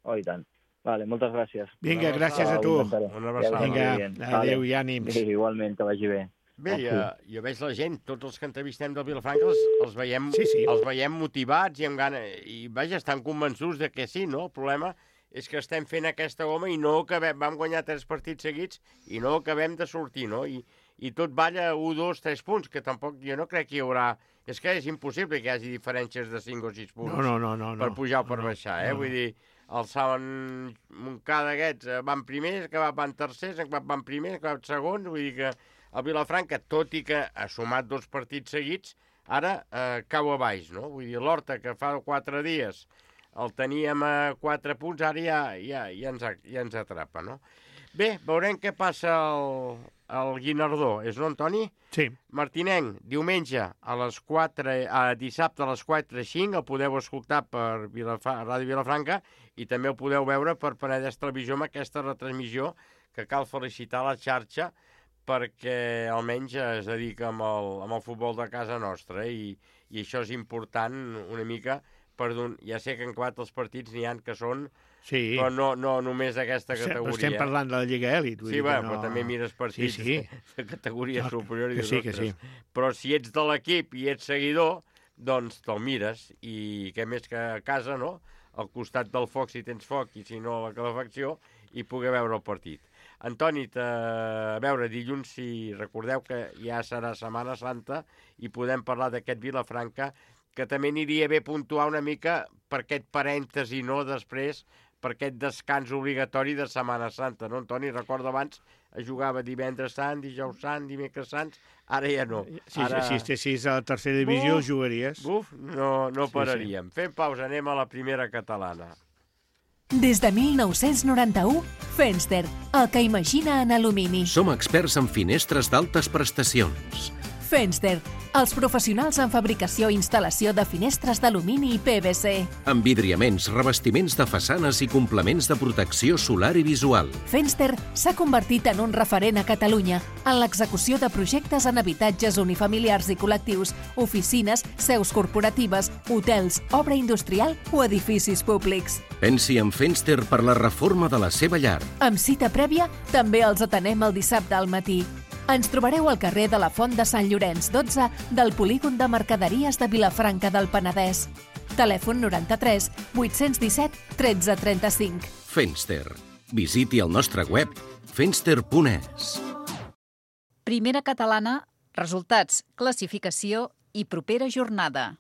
Oh, i tant. Vale, moltes gràcies. Vinga, gràcies a tu. Una abraçada. Vinga, adéu i ànims. Sí, igualment, que vagi bé. Bé, jo, jo veig la gent, tots els que entrevistem del Vilafranca els, els, veiem, sí, sí. els veiem motivats i amb gana, i vaja, estan convençuts de que sí, no? El problema és que estem fent aquesta goma i no acabem, vam guanyar tres partits seguits i no acabem de sortir, no? I, i tot balla un, dos, tres punts, que tampoc jo no crec que hi haurà... És que és impossible que hi hagi diferències de cinc o sis punts no, no, no, no, per pujar o per no, baixar, eh? No, no. Vull dir, el Saben Montcada aquests van primers, que van tercers, que van primers, que van segons, vull dir que el Vilafranca, tot i que ha sumat dos partits seguits, ara eh, cau a baix, no? Vull dir, l'Horta, que fa quatre dies el teníem a quatre punts, ara ja, ja, ja, ens, ja ens atrapa, no? Bé, veurem què passa al, al Guinardó. És no, Antoni? Sí. Martinenc, diumenge a les quatre, a dissabte a les quatre i cinc, el podeu escoltar per Vilafra, Ràdio Vilafranca i també el podeu veure per Penedès Televisió amb aquesta retransmissió que cal felicitar la xarxa perquè almenys es dedica amb el, amb el futbol de casa nostra i, i això és important una mica per don... Ja sé que en acabat els partits n'hi ha que són Sí. Però no, no només d'aquesta categoria. Però estem parlant de la Lliga Èlit. Sí, va, no... però també mires partits sí, sí. de categoria no, superior i que sí, que sí. Però si ets de l'equip i ets seguidor, doncs te'l mires. I què més que a casa, no? Al costat del foc, si tens foc, i si no, la calefacció, i poder veure el partit. Antoni, a veure, dilluns, si recordeu que ja serà Setmana Santa i podem parlar d'aquest Vilafranca, que també aniria bé puntuar una mica per aquest parèntesi, no?, després, per aquest descans obligatori de Setmana Santa, no, Antoni? Recordo abans es jugava divendres sant, dijous sant, dimecres sants, ara ja no. Si ara... estessis a la tercera divisió, Uf, jugaries. Uf, no, no sí, pararíem. Sí. Fem pausa, anem a la primera catalana. Des de mil nou-cents noranta-u, Fenster, el que imagina en alumini. Som experts en finestres d'altes prestacions. Fenster, els professionals en fabricació i instal·lació de finestres d'alumini i P V C. Envidriaments, revestiments de façanes i complements de protecció solar i visual. Fenster s'ha convertit en un referent a Catalunya en l'execució de projectes en habitatges unifamiliars i col·lectius, oficines, seus corporatives, hotels, obra industrial o edificis públics. Pensi en Fenster per la reforma de la seva llar. Amb cita prèvia, també els atenem el dissabte al matí. Ens trobareu al carrer de la Font de Sant Llorenç dotze del polígon de mercaderies de Vilafranca del Penedès. Telèfon noranta-tres vuit-cents disset tretze trenta-cinc. Fenster. Visiti el nostre web fenster punt es. Primera catalana, resultats, classificació i propera jornada.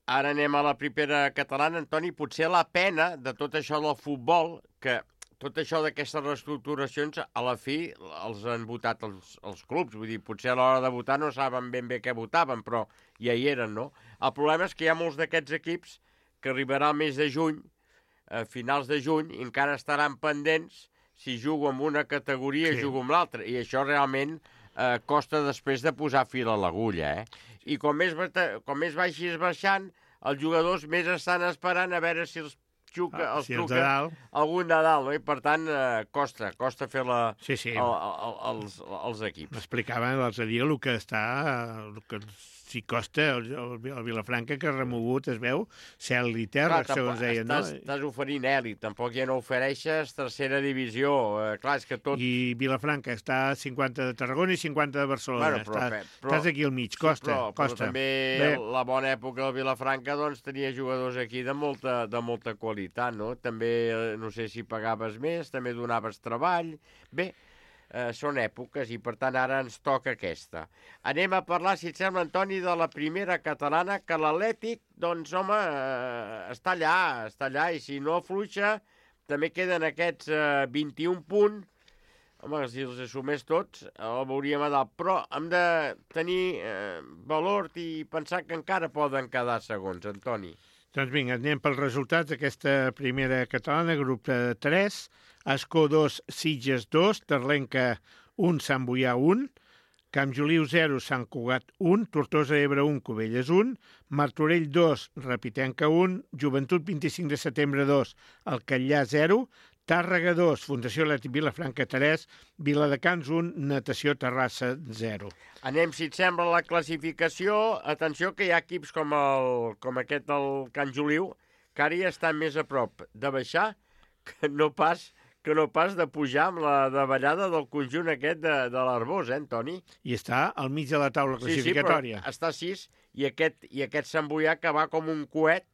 Ara anem a la primera catalana, Antoni. Potser la pena de tot això del futbol, que tot això d'aquestes reestructuracions, a la fi els han votat els, els clubs. Vull dir, potser a l'hora de votar no saben ben bé què votaven, però ja hi eren, no? El problema és que hi ha molts d'aquests equips que arribarà al mes de juny, a finals de juny, i encara estaran pendents si jugo en una categoria i sí. jugo en l'altra. I això realment eh, costa després de posar fil a l'agulla, eh? I com més, com més vagis baixant, els jugadors més estan esperant a veure si els xuca, ah, els si truca algun de dalt, no? I per tant eh, costa, costa fer la, sí, sí. El, el, els, els equips. M'explicaven l'altre dia el que està, el que si costa el, el, el Vilafranca, que ha remogut, es veu, cel i terra, clar, segons deien, no? Estàs, estàs oferint èlit, tampoc ja no ofereixes tercera divisió, eh, clar, és que tot... I Vilafranca està a cinquanta de Tarragona i cinquanta de Barcelona, bueno, però, estàs, però, estàs aquí al mig, costa, però, costa. Però també Bé. la bona època del Vilafranca doncs tenia jugadors aquí de molta, de molta qualitat, no? També, no sé si pagaves més, també donaves treball, bé... Eh, són èpoques i, per tant, ara ens toca aquesta. Anem a parlar, si et sembla, Antoni, de la primera catalana, que l'Atlètic, doncs, home, eh, està allà, està allà, i si no afluixa, també queden aquests eh, vint-i-un punts. Home, si els assumés tots, el veuríem a dalt. Però hem de tenir eh, valor i pensar que encara poden quedar segons, Antoni. Doncs vinga, anem pels resultats d'aquesta primera catalana, grup tres, Escó dos, Sitges dos, Terlenca un, Sant Boià un, Camp Joliu zero, Sant Cugat un, Tortosa Ebre un, Cubelles un, Martorell dos, Repitenca un, Joventut vint-i-cinc de setembre dos, Alcallà zero, Tàrrega dos, Fundació Atlètic Vilafranca tres, Viladecans un, Natació Terrassa zero. Anem, si et sembla, la classificació. Atenció que hi ha equips com, el, com aquest del Can Joliu, que ara ja estan més a prop de baixar que no pas, que no pas de pujar amb la davallada del conjunt aquest de, de l'Arbós, eh, Antoni? I està al mig de la taula classificatòria. Sí, sí, però està a sis, i aquest, i aquest Sant Boià que va com un coet,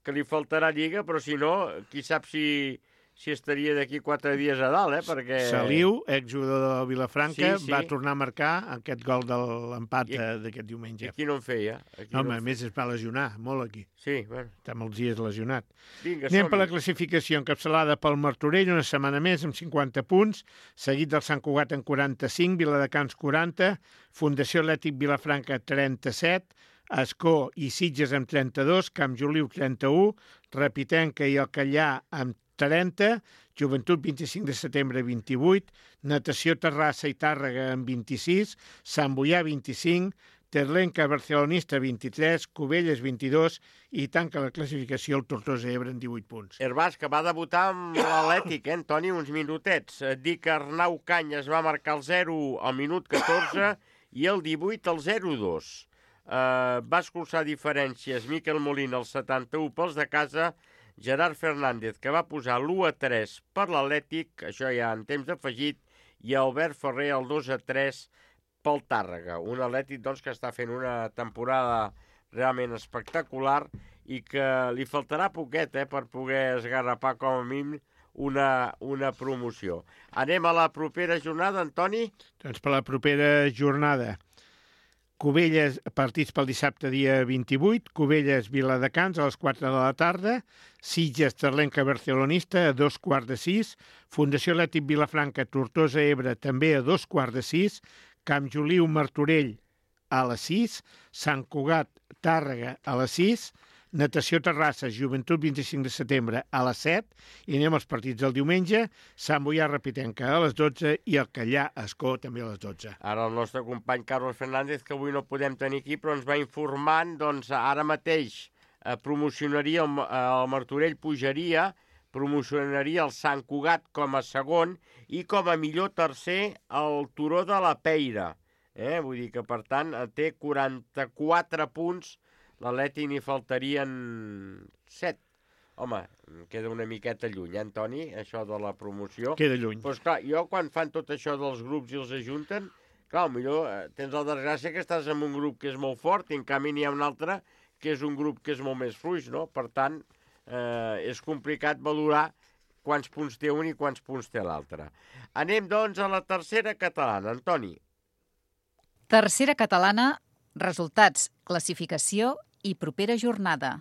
que li faltarà lliga, però si no, qui sap si... si estaria d'aquí quatre dies a dalt, eh? Perquè... Saliu, exjugador de Vilafranca, sí, sí. va tornar a marcar aquest gol de l'empat I- d'aquest diumenge. Aquí no en feia. Aquí No, home, en a més es va lesionar, molt aquí. Sí, bueno. Està molts dies lesionat. Vinga, Anem per la som-hi. classificació encapçalada pel Martorell, una setmana més, amb cinquanta punts, seguit del Sant Cugat en quaranta-cinc, Viladecans quaranta, Fundació Atlètic Vilafranca trenta-set, Escó i Sitges amb trenta-dos, Camp Joliu trenta-u, Repitenca i Alcallà amb trenta, Joventut vint-i-cinc de setembre vint-i-vuit, Natació Terrassa i Tàrrega amb vint-i-sis, Sant Boià vint-i-cinc, Terlenca Barcelonista vint-i-tres, Cubelles vint-i-dos i tanca la classificació el Tortosa Ebre en divuit punts. Herbàs, que va debutar amb l'Atlètic, eh, Antoni, uns minutets. Et dic que Arnau Canyes va marcar el zero al minut catorze i el divuit al zero dos. Uh, va escurçar diferències Miquel Molina al setanta-u pels de casa, Gerard Fernández, que va posar l'u a tres per l'Atlètic, això ja en temps afegit, i Albert Ferrer el dos a tres pel Tàrrega. Un Atlètic doncs, que està fent una temporada realment espectacular i que li faltarà poquet eh, per poder esgarrapar com a mínim una, una promoció. Anem a la propera jornada, Antoni? Doncs per la propera jornada, Cubelles, partits pel dissabte dia vint-i-vuit, Cubelles Viladecans a les quatre de la tarda, Sitges Terlenca Barcelonista a dos quarts de sis, Fundació Atlètic Vilafranca Tortosa Ebre també a dos quarts de sis, Camp Joliu Martorell a les sis, Sant Cugat Tàrrega a les sis, Natació Terrassa, Joventut vint-i-cinc de setembre a les set, i anem als partits del diumenge, Sant Boià Repitenca a les dotze i Alcallà Escó també a les dotze. Ara el nostre company Carlos Fernández, que avui no podem tenir aquí, però ens va informant, doncs ara mateix eh, promocionaria el, el Martorell pujaria, promocionaria el Sant Cugat com a segon i com a millor tercer el Turó de la Peira. Eh? Vull dir que, per tant, té quaranta-quatre punts. L'Atlètic n'hi faltarien set. Home, queda una miqueta lluny, eh, Antoni, això de la promoció. Queda lluny. Doncs clar, jo quan fan tot això dels grups i els ajunten, clar, millor eh, tens la desgràcia que estàs en un grup que és molt fort i en canvi n'hi ha un altre que és un grup que és molt més fluix, no? Per tant, eh, és complicat valorar quants punts té un i quants punts té l'altre. Anem, doncs, a la tercera catalana. Antoni. Tercera catalana, resultats, classificació i propera jornada.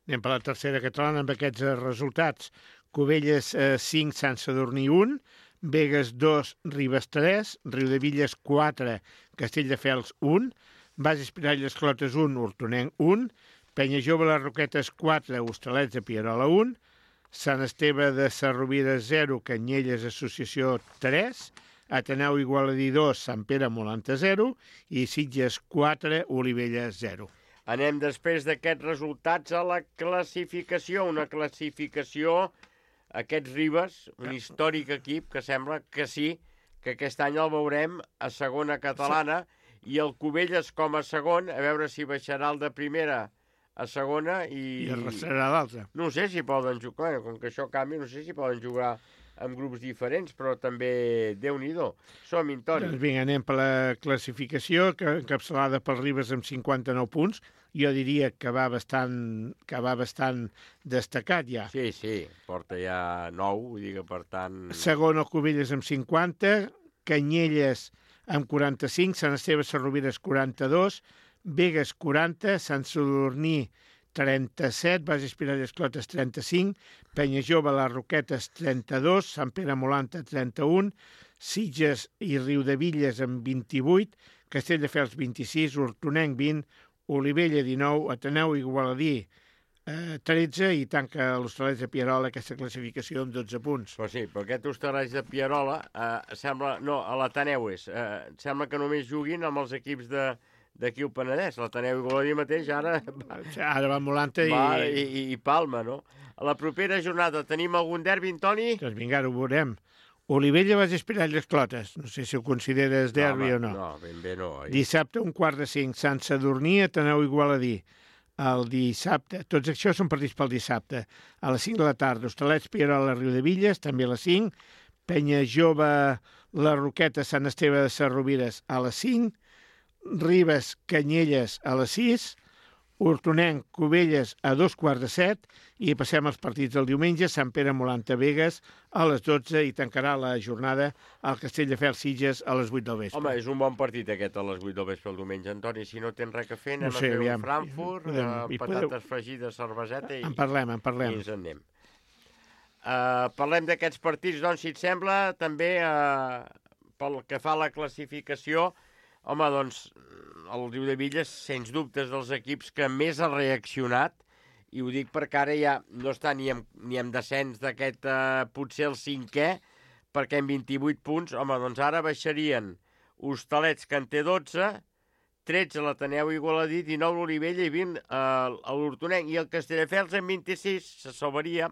Anem per la tercera catalana amb aquests eh, resultats. Cubelles eh, cinc, Sant Sadurní un, Begues dos, Ribes tres, Riudevilles quatre, Castelldefels un, Bages Piralles Clotes un, Hortonenc un, Penyajove les Roquetes quatre, Hostalets de Pierola un, Sant Esteve de Sarrovira zero, Canyelles Associació tres, Ateneu Igualadí dos, Sant Pere Molanta zero i Sitges quatre, Olivella zero. Anem després d'aquests resultats a la classificació. Una classificació, aquests Ribes, un històric equip que sembla que sí, que aquest any el veurem a segona catalana i el Cubelles com a segon, a veure si baixarà el de primera a segona i... I arrasarà l'altre. No sé si poden jugar, com que això canvi, no sé si poden jugar amb grups diferents, però també Déu-n'hi-do. Som-hi, Toni. Doncs vinga, anem per la classificació, que encapçalada pel Ribes amb cinquanta-nou punts. Jo diria que va bastant, que va bastant destacat ja. Sí, sí, porta ja nou, vull dir que per tant... Segon el Cubelles amb cinquanta, Canyelles amb quaranta-cinc, Sant Esteve Sarrovires quaranta-dos, Begues quaranta, Sant Sadurní trenta-set, Bases Piralles Clotes trenta-cinc, Penyajove les Roquetes trenta-dos, Sant Pere Molanta trenta-un, Sitges i Riudevilles amb vint-i-vuit, Castelldefels vint-i-sis, Hortonenc vint, Olivella dinou, Ateneu Igualadí eh, tretze i tanca l'Hostalets de Pierola aquesta classificació amb dotze punts. Però sí, però aquest Hostalets de Pierola eh, sembla... No, a l'Ateneu és. Eh, sembla que només juguin amb els equips de d'aquí al Penedès. L'Ateneu Igualadí mateix ara... Ara va Molanta i... Va, i, i, i Palma, no? A la propera jornada tenim algun derbi, Toni? Doncs vinga, ara ho veurem. Olivella Bages Piralles Clotes. No sé si ho consideres derbi no, o no. No, ben bé no. Oi? Dissabte, un quart de cinc, Sant Sadurní, Ateneu Igualadí. El dissabte, tots això són partits pel dissabte. A les cinc de la tarda, Hostalets, Pierola, Riudevilles, també a les cinc. Penyajove, la Roqueta, Sant Esteve de Sarrovires a les cinc. Ribes, Canyelles a les sis. Hortonenc, Cubelles a dos quarts de set i passem als partits del diumenge. Sant Pere Molanta Begues a les dotze i tancarà la jornada al Castelldefels Sitges a les vuit del vespre. Home, és un bon partit aquest a les vuit del vespre el diumenge. Antoni, si no tens res a fer, anem no sé, a fer aviam, un Frankfurt, podem, uh, patates podeu... fregides, cerveseta i... En parlem, en parlem. I ens en anem. Uh, parlem d'aquests partits, doncs, si et sembla, també uh, pel que fa a la classificació. Home, doncs, el Riudebitlles, sens dubtes, dels equips que més ha reaccionat, i ho dic perquè ara ja no està ni en, ni en descens d'aquest, eh, potser el cinquè, perquè en vint-i-vuit punts, home, doncs ara baixarien Hostalets, que en té dotze, tretze l'Ateneu Igualadí, dinou l'Olivella i vint eh, l'Hortonenc, i el Castelldefels en vint-i-sis se salvaria,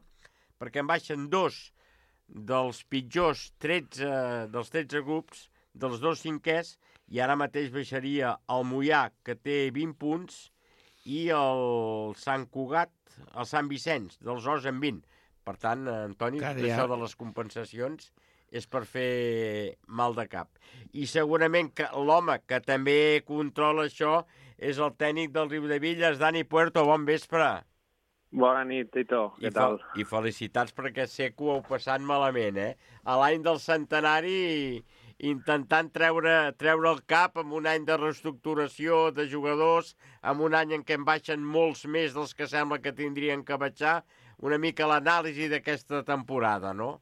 perquè en baixen dos dels pitjors tretze, dels tretze grups, dels dos cinquers, i ara mateix baixaria el Moià, que té vint punts, i el Sant Cugat, el Sant Vicenç, dels Os en vint. Per tant, Antoni, Caria. Això de les compensacions és per fer mal de cap. I segurament que l'home que també controla això és el tècnic del Riudebitlles, Dani Puerto. Bon vespre. Bona nit, Tito. Què I tal? I felicitats perquè sé que ho heu passat malament, eh? A l'any del centenari, intentant treure, treure el cap amb un any de reestructuració de jugadors, amb un any en què en baixen molts més dels que sembla que tindrien que baixar, una mica l'anàlisi d'aquesta temporada, no?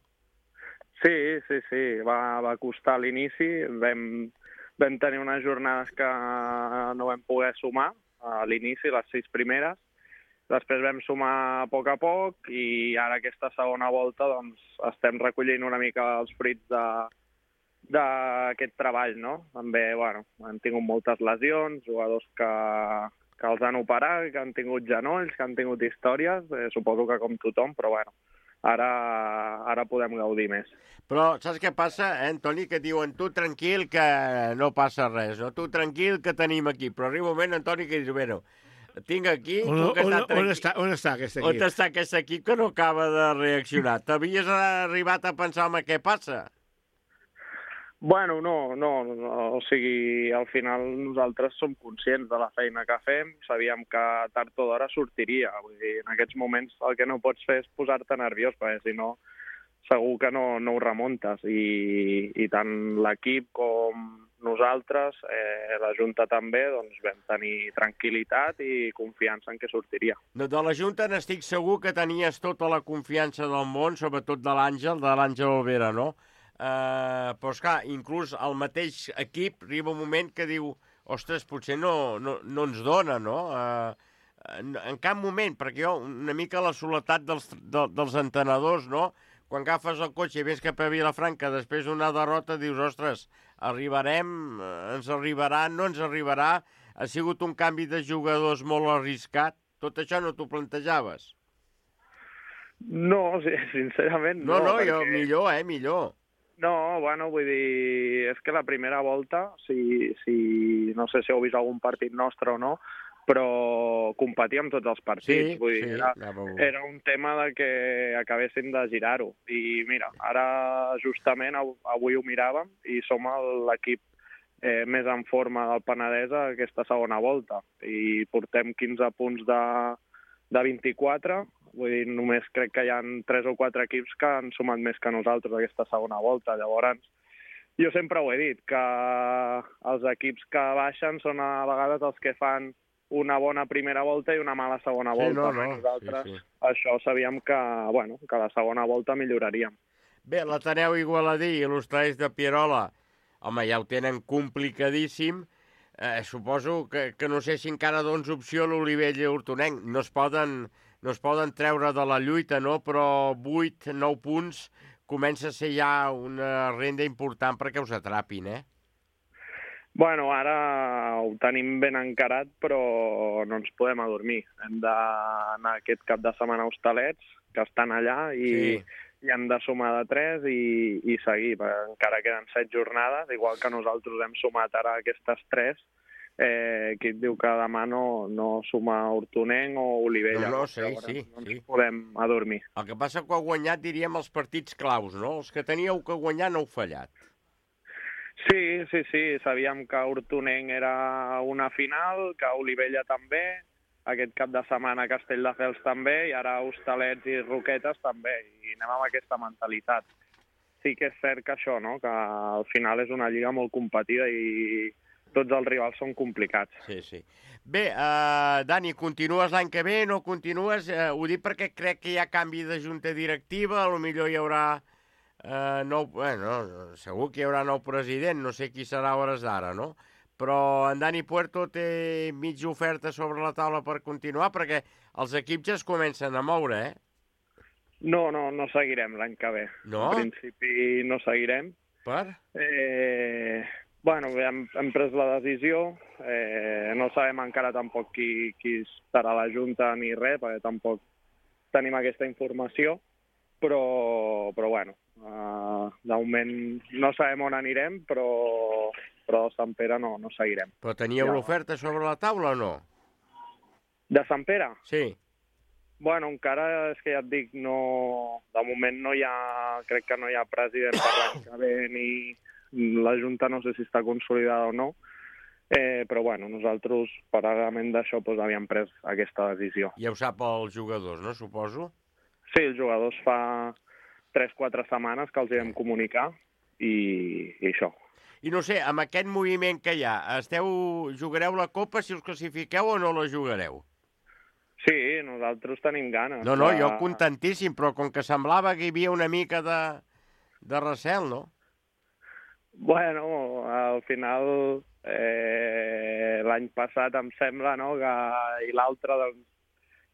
Sí, sí, sí. Va, va costar a l'inici. Vam, vam tenir unes jornades que no vam poder sumar a l'inici, les sis primeres. Després vam sumar a poc a poc i ara aquesta segona volta doncs, estem recollint una mica els fruits de, d'aquest treball, no? També, bueno, han tingut moltes lesions, jugadors que, que els han operat, que han tingut genolls, que han tingut històries, eh, suposo que com tothom, però bueno, ara, ara podem gaudir més. Però saps què passa, eh, Antoni, que diuen tu tranquil que no passa res, no? Tu tranquil que tenim aquí, però arriba un moment, Antoni, que dius, bueno, tinc aquí... On, on, on, està, on està aquest equip? On està aquest equip que no acaba de reaccionar? T'havies arribat a pensar, home, què passa? Bueno, no, no, no, o sigui, al final nosaltres som conscients de la feina que fem, sabíem que tard o d'hora sortiria, vull dir, en aquests moments el que no pots fer és posar-te nerviós, perquè si no, segur que no, no ho remuntes, i, i tant l'equip com nosaltres, eh, la Junta també, doncs vam tenir tranquil·litat i confiança en què sortiria. De la Junta n'estic segur que tenies tota la confiança del món, sobretot de l'Àngel, de l'Àngel Olvera, no? Uh, però, esclar, inclús el mateix equip arriba un moment que diu ostres, potser no, no, no ens dona, no? Uh, en, en cap moment, perquè jo, una mica la soledat dels, de, dels entrenadors, no? Quan agafes el cotxe i vens cap a Vilafranca després d'una derrota, dius, ostres, arribarem, ens arribarà, no ens arribarà, ha sigut un canvi de jugadors molt arriscat, tot això no t'ho plantejaves? No, sincerament no. No, no, perquè... jo, millor, eh, millor. No, bueno, vull dir, és que la primera volta, si, si no sé si heu vist algun partit nostre o no, però competíem tots els partits. Sí, vull dir, sí, era, ja era un tema de que acabessin de girar-ho. I mira, ara justament avui ho miràvem i som l'equip eh, més en forma del Penedès a aquesta segona volta. I portem quinze punts de, de vint-i-quatre. Vull dir, només crec que hi ha tres o quatre equips que han sumat més que nosaltres aquesta segona volta. Llavors, jo sempre ho he dit, que els equips que baixen són a vegades els que fan una bona primera volta i una mala segona sí, volta. No, no. Nosaltres sí, sí. això sabíem que, bueno, que la segona volta milloraríem. Bé, l'Ateneu Igualadí i l'Hostalets de Pierola, home, ja ho tenen complicadíssim. Eh, suposo que, que no sé si encara dones opció a l'Olivella i Hortonenc. No es poden... no es poden treure de la lluita, no? Però vuit, nou punts comença a ser ja una renda important perquè us atrapin, eh? Bueno, ara ho tenim ben encarat, però no ens podem adormir. Hem d'anar aquest cap de setmana a Hostalets, que estan allà, i, sí. i hem de sumar de tres i, i seguir. Encara queden set jornades, igual que nosaltres hem sumat ara aquestes tres, Eh, qui et diu que demà no, no suma Hortonenc o Olivella. No, no, sí, Llavors, sí. no ens sí. podem adormir. El que passa que heu guanyat, diríem, els partits claus, no? Els que teníeu que guanyar no heu fallat. Sí, sí, sí. Sabíem que Hortonenc era una final, que Olivella també, aquest cap de setmana Castelldefels també, i ara Hostalets i Roquetes també, i anem amb aquesta mentalitat. Sí que és cert que això, no?, que al final és una lliga molt competida i tots els rivals són complicats. Sí, sí. Bé, uh, Dani, continues l'any que ve, no continues? Uh, ho dic perquè crec que hi ha canvi de junta directiva, potser hi haurà uh, nou... Bueno, segur que hi haurà nou president, no sé qui serà a hores d'ara, no? Però en Dani Puerto té mitja oferta sobre la taula per continuar, perquè els equips ja es comencen a moure, eh? No, no, no seguirem l'any que ve. No? En principi no seguirem. Per? Eh... Bueno, hem, hem pres la decisió, eh, no sabem encara tampoc qui, qui estarà a la Junta ni res, perquè tampoc tenim aquesta informació, però, però bueno, uh, de moment no sabem on anirem, però, però de Sant Pere no, no seguirem. Però teníeu Ja. l'oferta sobre la taula o no? De Sant Pere? Sí. Bueno, encara és que ja et dic, no, de moment no hi ha, crec que no hi ha president per l'any que ve, ni la Junta no sé si està consolidada o no, eh, però bueno, nosaltres, paral·lelament d'això, doncs, havíem pres aquesta decisió. Ja ho sap els jugadors, no, suposo? Sí, els jugadors fa tres o quatre setmanes que els hi vam comunicar i, i això. I no sé, amb aquest moviment que hi ha, esteu, jugareu la Copa si us classifiqueu o no la jugareu? Sí, nosaltres tenim ganes. No, no, de... jo contentíssim, però com que semblava que hi havia una mica de, de recel, no? Bueno, al final, eh, l'any passat em sembla, no?, que i l'altre doncs,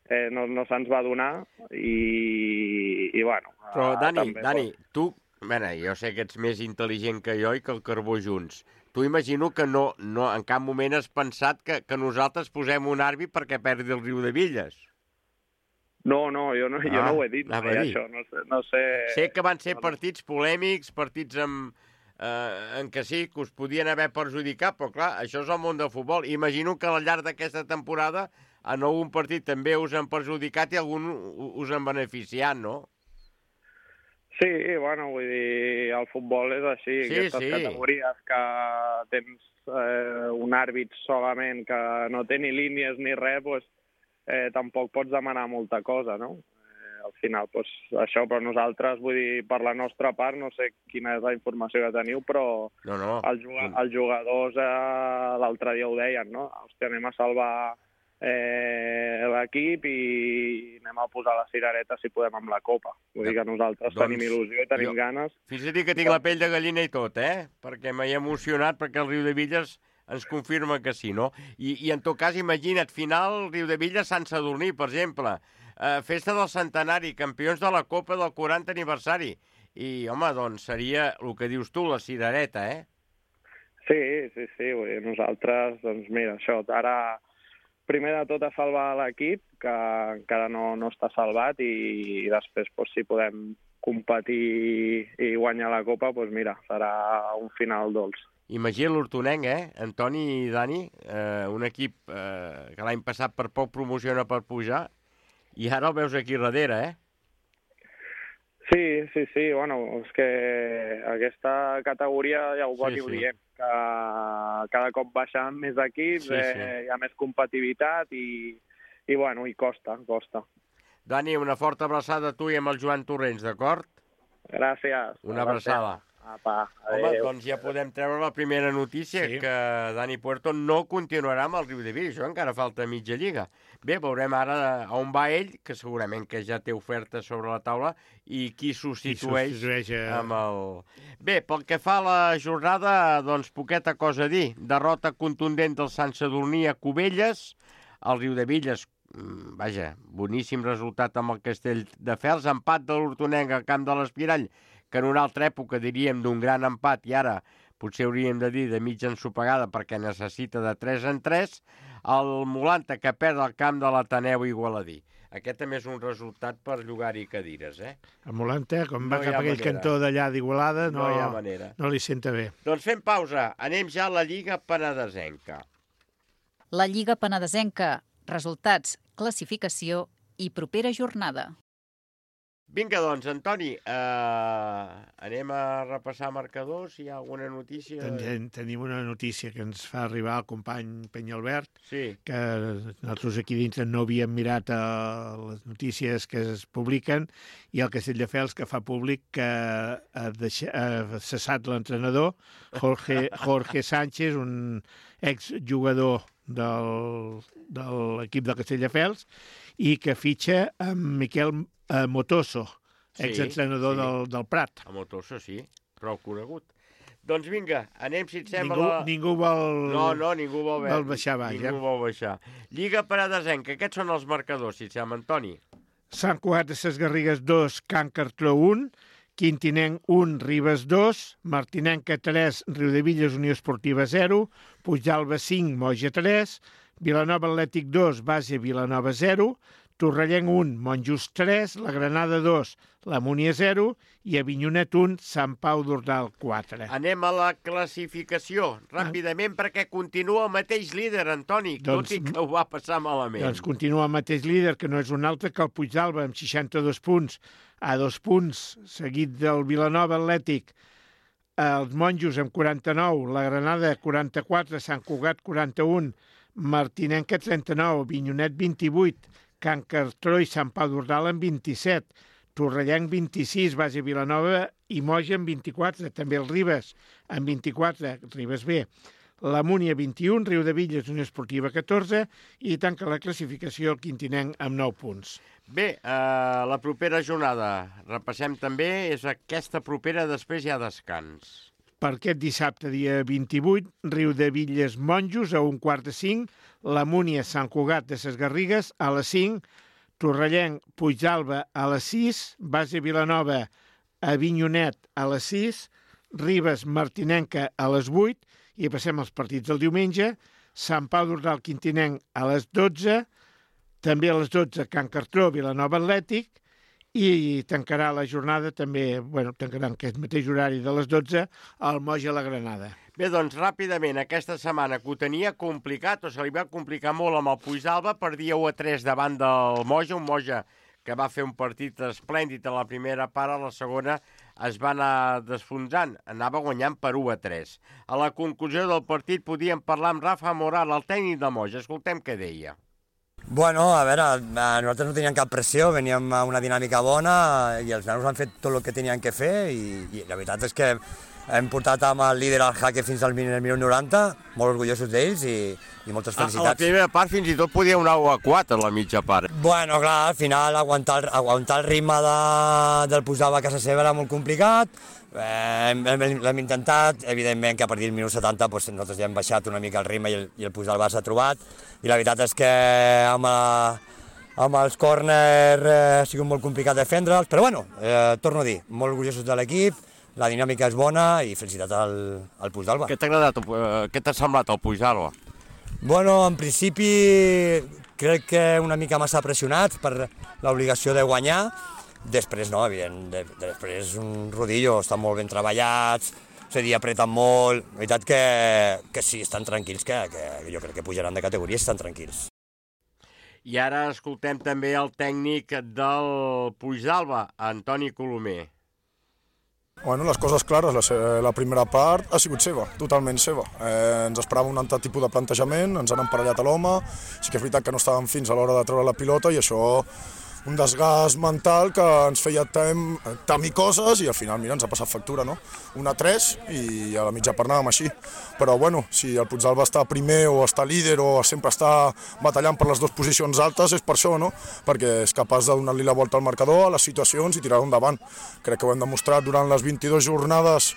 eh, no, no se'ns va donar i, i bueno... Però, Dani, també, Dani, doncs... tu, mena, jo sé que ets més intel·ligent que jo i que el Carbó junts. Tu imagino que no, no en cap moment has pensat que, que nosaltres posem un àrbit perquè perdi el Riu de Villes. No, no, jo no, ah, jo no ho he dit mai, això. No sé, no sé... Sé que van ser partits polèmics, partits amb... Eh, en què sí, que us podien haver perjudicat, però clar, això és el món del futbol. Imagino que al llarg d'aquesta temporada en algun partit també us han perjudicat i algun us han beneficiat, no? Sí, bueno, vull dir, el futbol és així, sí, aquestes sí. categories que tens eh, un àrbit solament que no té ni línies ni res, doncs, eh, tampoc pots demanar molta cosa, no? Al final, doncs, això, però nosaltres, vull dir, per la nostra part, no sé quina és la informació que teniu, però no, no. Els, els jugadors eh, l'altre dia ho deien, no? Hòstia, anem a salvar eh, l'equip i anem a posar la cirereta si podem amb la Copa. Vull dir que nosaltres doncs, tenim il·lusió i tenim jo, ganes. Fins a dir que tinc la pell de gallina i tot, eh? Perquè m'he emocionat perquè el Riu de Villes ens confirma que sí, no? I, i en tot cas, imagina't, final, Riu de Villes, Sant Sadurní, per exemple. Uh, festa del centenari, campions de la Copa del quaranta aniversari. I, home, doncs seria el que dius tu, la cirereta, eh? Sí, sí, sí. Vull dir, nosaltres, doncs mira, això, ara primer de tot a salvar l'equip, que encara no, no està salvat, i, i després, doncs, si podem competir i guanyar la Copa, doncs mira, serà un final dolç. Imagina l'Hortonenc, eh? Antoni i Dani, eh, un equip eh, que l'any passat per poc promociona per pujar, i ara el veus aquí darrere, eh? Sí, sí, sí, bueno, és que aquesta categoria ja ho va sí, dir, sí. diem, que cada cop baixen més equips, sí, sí. Eh, hi ha més competitivitat i, i, bueno, i costa, costa. Dani, una forta abraçada a tu i amb el Joan Torrents, d'acord? Gràcies. Una abraçada. Apa, home, doncs ja podem treure la primera notícia, sí. que Dani Puerto no continuarà amb el Riu de Villes. Això encara falta mitja lliga. Bé, veurem ara on va ell, que segurament que ja té oferta sobre la taula, i qui substitueix, qui substitueix a... amb el... Bé, pel que fa a la jornada, doncs poqueta cosa a dir. Derrota contundent del Sant Sadurní a Cubelles, el Riu de Villes, vaja, boníssim resultat amb el Castelldefels, empat de l'Hortonenc al camp de l'Espirall, que en una altra època diríem d'un gran empat i ara potser hauríem de dir de mitja ensopegada perquè necessita de tres en tres, el Molanta que perd el camp de l'Ateneu Igualadí. Aquest també és un resultat per llogar-hi cadires, eh? El Molanta, com no va cap aquell manera. Cantó d'allà d'Igualada, no, no, hi ha manera. No li senta bé. Doncs fem pausa, anem ja a la Lliga Penedesenca. La Lliga Penedesenca, resultats, classificació i propera jornada. Vinga, doncs, Antoni, eh, anem a repassar marcadors, si hi ha alguna notícia. Ten, tenim una notícia que ens fa arribar el company Penyalbert, sí. que nosaltres aquí dintre no havíem mirat uh, les notícies que es publiquen, i el Castelldefels que fa públic que ha, deixat, ha cessat l'entrenador Jorge, Jorge Sánchez, un exjugador del, de l'equip del Castelldefels, i que fitxa amb Miquel Uh, Motoso, exentrenador sí, sí. Del, del Prat. A Motoso, sí, prou conegut. Doncs vinga, anem, si et sembla... Ningú, la... ningú vol... No, no, ningú vol, vol baixar baix. Ningú eh? vol baixar. Lliga Paradesenca, aquests són els marcadors, si et sembla, Antoni. Sant Cugat de ses Garrigues dos, Can Cartró un, Quintinenc un, Ribes dos, Martinenca tres, Riudevilles Unió Esportiva zero, Puigdàlber cinc, Moja tres, Vilanova Atlètic dos, Base Vilanova zero, Torrellenc un, Montjust tres, la Granada dos, la Múnia zero i Avinyonet un, Sant Pau d'Ordal quatre. Anem a la classificació, ràpidament, ah. perquè continua el mateix líder, Antoni, doncs, tot i que ho va passar malament. Doncs continua el mateix líder, que no és un altre que el Puigdàlber, amb seixanta-dos punts, a dos punts, seguit del Vilanova Atlètic, els Monjos amb quaranta-nou, la Granada quaranta-quatre, Sant Cugat quaranta-un, Martinenca trenta-nou, Avinyonet vint-i-vuit, Can Cartró i Sant Pau d'Ordal amb vint-i-set, Torrellenc vint-i-sis, Base Vilanova i Moja amb vint-i-quatre, també el Ribes amb vint-i-quatre, Ribes B, la Múnia vint-i-un, Riudevilles Unió Esportiva catorze i tanca la classificació el Quintinenc amb nou punts. Bé, eh, la propera jornada, repassem també, és aquesta propera, després hi ha descans. Per aquest dissabte, dia vint-i-vuit, Riudevilles Monjos a un quart de cinc, la Múnia Sant Cugat de ses Garrigues a les cinc, Torrellenc Puigdàlber a les sis, Base Vilanova Avinyonet a les sis, Ribes Martinenca a les vuit, i passem als partits del diumenge, Sant Pau d'Ordal Quintinenc a les dotze, també a les dotze Can Cartró Vilanova Atlètic, i tancarà la jornada també, bueno, tancarà en aquest mateix horari de les dotze, al Moja la Granada. Bé, doncs, ràpidament, aquesta setmana que ho tenia complicat, o se li va complicar molt amb el Puigdàlber, perdia u a tres davant del Moja, un Moja que va fer un partit esplèndid a la primera part, a la segona es va anar desfonsant, anava guanyant per u a tres. A la conclusió del partit podíem parlar amb Rafa Moral, el tècnic de Moja, escoltem què deia. Bueno, a veure, nosaltres no teníem cap pressió, veníem a una dinàmica bona i els nanos han fet tot el que tenien que fer i, i la veritat és que hem portat amb el líder al jaque fins al minut noranta, molt orgullosos d'ells i, i moltes felicitats. A la primera part fins i tot podia una u a quatre a la mitja part. Bueno, clar, al final aguantar, aguantar el ritme de, del Puigdàlber a casa seva era molt complicat. Eh, l'hem intentat, evidentment que a partir del minut setanta doncs, nosaltres ja hem baixat una mica el ritme i el, i el Puigdàlber s'ha trobat i la veritat és que amb, la, amb els córners eh, ha sigut molt complicat defendre'ls, però bueno, eh, torno a dir, molt orgullosos de l'equip, la dinàmica és bona i felicitat al, al Puigdàlber. Què t'ha agradat, eh, què t'ha semblat el Puigdàlber? Bueno, en principi crec que una mica massa pressionats per l'obligació de guanyar. Després no, evident, després un rodillo, estan molt ben treballats, és a dir, apreten molt, la veritat que, que sí, estan tranquils, que, que jo crec que pujaran de categoria, estan tranquils. I ara escoltem també el tècnic del Puigdàlber, Antoni Colomer. Bueno, les coses clares, la, la primera part ha sigut seva, totalment seva. Eh, ens esperava un altre tipus de plantejament, ens han emparellat a l'home, sí que és veritat que no estàvem fins a l'hora de treure la pilota i això un desgast mental que ens feia tem, temir coses i al final, mira, ens ha passat factura, no? un a tres i a la mitja part anàvem així. Però, bueno, si el Puigdàlber està primer o està líder o sempre està batallant per les dues posicions altes, és per això, no? Perquè és capaç de donar-li la volta al marcador, a les situacions i tirar-ho endavant. Crec que ho hem demostrat durant les vint-i-dues jornades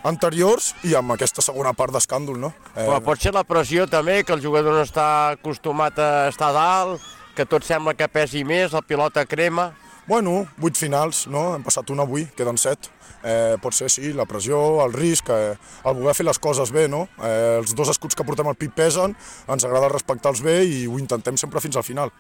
anteriors i amb aquesta segona part d'escàndol, no? Eh... Però pot ser la pressió també, que el jugador no està acostumat a estar dalt, que tot sembla que pesi més, la pilota crema... Bueno, vuit finals, no? Hem passat una avui, queden set. Eh, pot ser, sí, la pressió, el risc, eh, el voler fer les coses bé, no? Eh, els dos escuts que portem al pit pesen, ens agrada respectar-los bé i ho intentem sempre fins al final.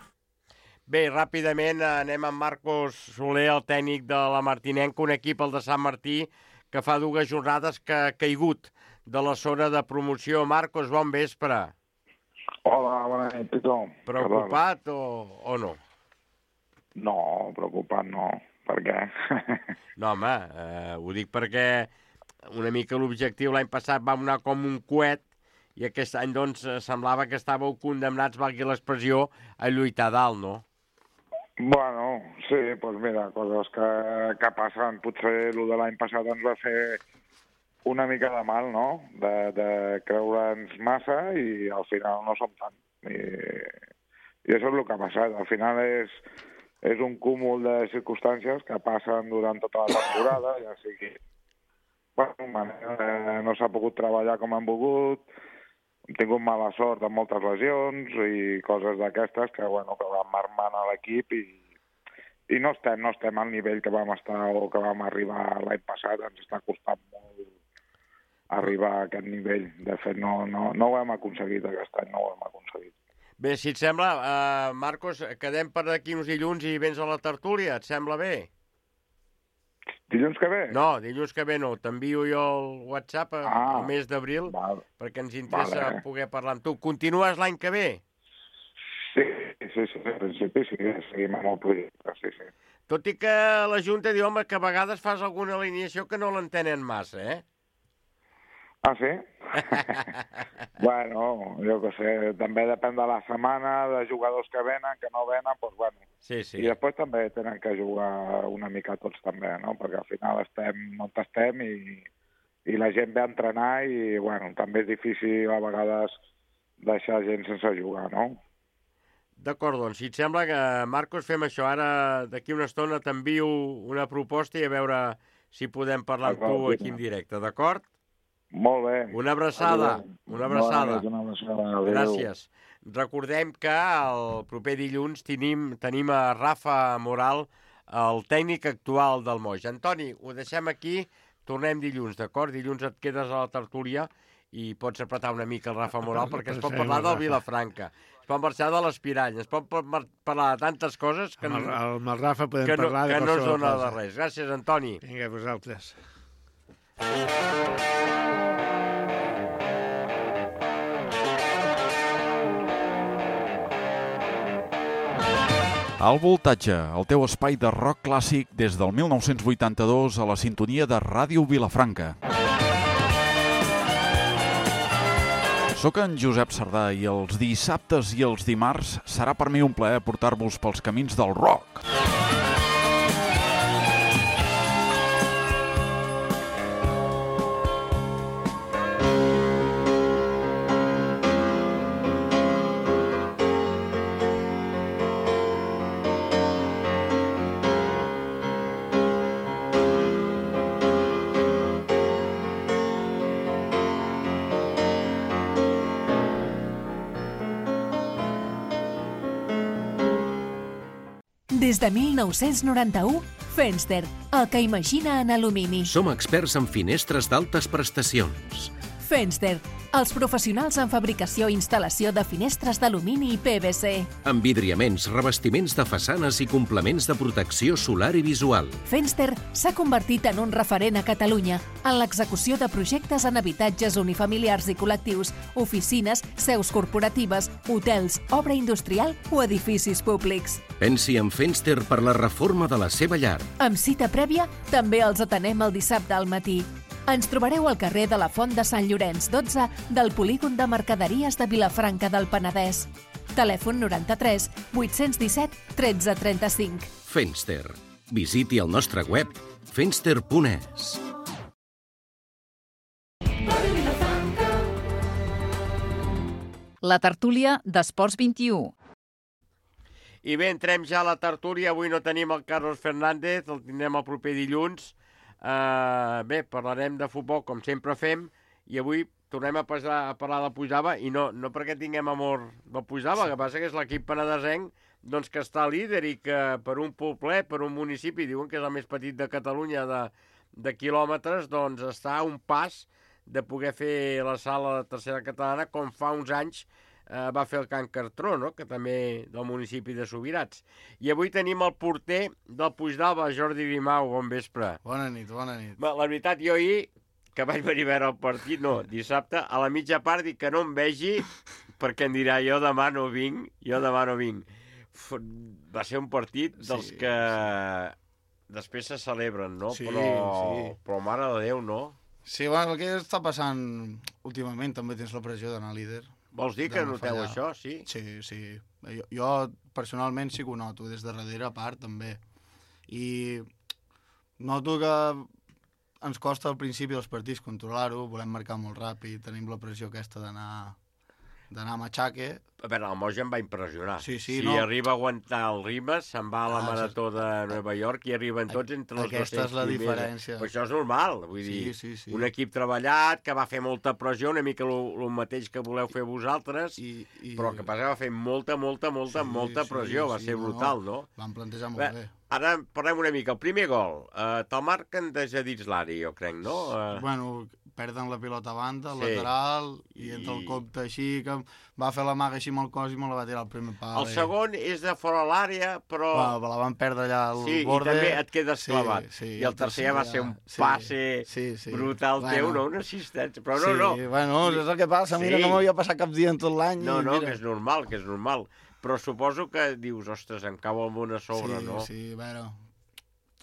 Bé, ràpidament anem amb Marcos Soler, el tècnic de la Martinenca, un equip, el de Sant Martí, que fa dues jornades que ha caigut de la zona de promoció. Marcos, bon vespre. Hola, bona nit, tothom. Preocupat o, o no? No, preocupat no. Per què? No, home, eh, ho dic perquè una mica l'objectiu l'any passat va anar com un coet i aquest any, doncs, semblava que estàveu condemnats, valgui l'expressió, a lluitar dalt, no? Bueno, sí, doncs mira, coses que, que passen. Potser el de l'any passat ens va fer una mica de mal, no? De, de creure'ns massa i al final no som tant. I, i això és el que ha passat. Al final és, és un cúmul de circumstàncies que passen durant tota la temporada, ja sigui... Bueno, eh, no s'ha pogut treballar com han volgut, hem tingut mala sort amb moltes lesions i coses d'aquestes que, bueno, que van marmant a l'equip i, i no estem, no estem al nivell que vam estar o que vam arribar l'any passat. Ens està costant molt arribar a aquest nivell. De fet, no, no, no ho hem aconseguit aquest any, no ho hem aconseguit. Bé, si et sembla, eh, Marcos, quedem per aquí uns dilluns i vens a la tertúlia, et sembla bé? Dilluns que ve? No, dilluns que ve no. T'envio jo el WhatsApp a, ah, al mes d'abril perquè ens interessa vale. poder parlar amb tu. Continues l'any que ve? Sí, sí, sí, en principi sí, seguim amb el projecte, sí, sí. Tot i que la Junta diu, home, que a vegades fas alguna alineació que no l'entenen massa, eh? Ah, sí? Bueno, jo què sé, també depèn de la setmana, de jugadors que venen, que no venen, doncs bueno. Sí, sí. I després també tenen que jugar una mica tots també, no? Perquè al final estem on estem i, i la gent ve a entrenar i, bueno, també és difícil a vegades deixar gent sense jugar, no? D'acord, doncs, si et sembla que, Marcos, fem això. Ara, d'aquí una estona, t'envio una proposta i a veure si podem parlar amb tu aquí en directe, d'acord? Molt bé. Una abraçada. Una abraçada. Una abraçada. Gràcies. Recordem que el proper dilluns tenim, tenim a Rafa Moral, el tècnic actual del Moix. Antoni, ho deixem aquí, tornem dilluns, d'acord? Dilluns et quedes a la tertúlia i pots apretar una mica el Rafa Moral perquè es pot parlar del Vilafranca, es pot marxar de l'Espirall, es pot parlar de tantes coses que, amb el, amb el Rafa podem que, no, parlar de que no ens dona cosa. de res. Gràcies, Antoni. Vinga, vosaltres. Al Voltatge, el teu espai de rock clàssic des del mil nou-cents vuitanta-dos a la sintonia de Ràdio Vilafranca. Soc en Josep Sardà i els dissabtes i els dimarts serà per mi un plaer portar-vos pels camins del rock. Des de mil nou-cents noranta-u, Fenster, el que imagina en alumini. Som experts en finestres d'altes prestacions. Fenster, els professionals en fabricació i instal·lació de finestres d'alumini i P V C. Envidriaments, revestiments de façanes i complements de protecció solar i visual. Fenster s'ha convertit en un referent a Catalunya en l'execució de projectes en habitatges unifamiliars i col·lectius, oficines, seus corporatives, hotels, obra industrial o edificis públics. Pensi en Fenster per la reforma de la seva llar. Amb cita prèvia, també els atenem el dissabte al matí. Ens trobareu al carrer de la Font de Sant Llorenç dotze del Polígon de Mercaderies de Vilafranca del Penedès. Telèfon noranta-tres vuit-cents disset tretze trenta-cinc. Fenster. Visiti el nostre web fenster punt es. La tertúlia d'Esports vint-i-u. I bé, entrem ja a la tertúlia. Avui no tenim el Carlos Fernández, el tindrem el proper dilluns. Uh, bé, parlarem de futbol com sempre fem i avui tornem a, passar, a parlar del Puigdava i no, no perquè tinguem amor del Puigdava, el que passa que és l'equip penedesenc doncs, que està líder i que per un poblet, per un municipi, diuen que és el més petit de Catalunya de, de quilòmetres, doncs està a un pas de poder fer la sala de tercera catalana com fa uns anys eh, va fer el Can Cartró, no? Que també del municipi de Subirats. I avui tenim el porter del Puigdava, Jordi Grimau. Bon vespre. Bona nit, bona nit. La veritat, jo ahir, que vaig venir a veure el partit, no, dissabte, a la mitja part dic que no em vegi, perquè em dirà, jo demà no vinc, jo demà no vinc. Va ser un partit dels sí, que... després se celebren, no? Sí, però, sí. però mare de Déu, no? Sí, bueno, el que està passant últimament també tens la pressió d'anar líder. Vols dir que de no noteu fallar. això, sí? Sí, sí. Jo, jo personalment sí que ho noto, des de darrere a part també. I noto que ens costa al principi dels partits controlar-ho, volem marcar molt ràpid, tenim la pressió aquesta d'anar d'anar a matxaque. A veure, el Moja em va impressionar. Sí, sí, si no. arriba a aguantar el ritme, se'n va a la Ah, marató de Nova York i arriben tots entre els Aquesta dos-cents és la primers. diferència. Però això és normal, vull Sí, dir, sí, sí. un equip treballat, que va fer molta pressió, una mica el mateix que voleu fer vosaltres, I, i... però que passa que va fer molta, molta, molta, Sí, molta sí, pressió, va sí, ser no, brutal, no? Van plantejar molt Bé, bé. Ara parlem una mica. El primer gol, eh, te'l marquen des de dins l'àrea, jo crec, no? Eh... Bueno, perden la pilota a banda, al Sí. lateral, i I- entra el compte així, que va fer la maga així amb el cos i me la va tirar al primer pal. El segon és de fora l'àrea, però... Bueno, la van perdre allà al sí, borde. i també et quedes Sí, clavat. sí, I el tercer ja va ser un passe sí, sí. brutal Bueno. teu, no? Una assistència. Però no, sí, no. bueno, és el que passa. Mira, Sí. no m'havia passat cap dia en tot l'any. No, i no, mira. que és normal, que és normal. Però suposo que dius, ostres, em cau el món a sobre, sí, no? Sí, a veure,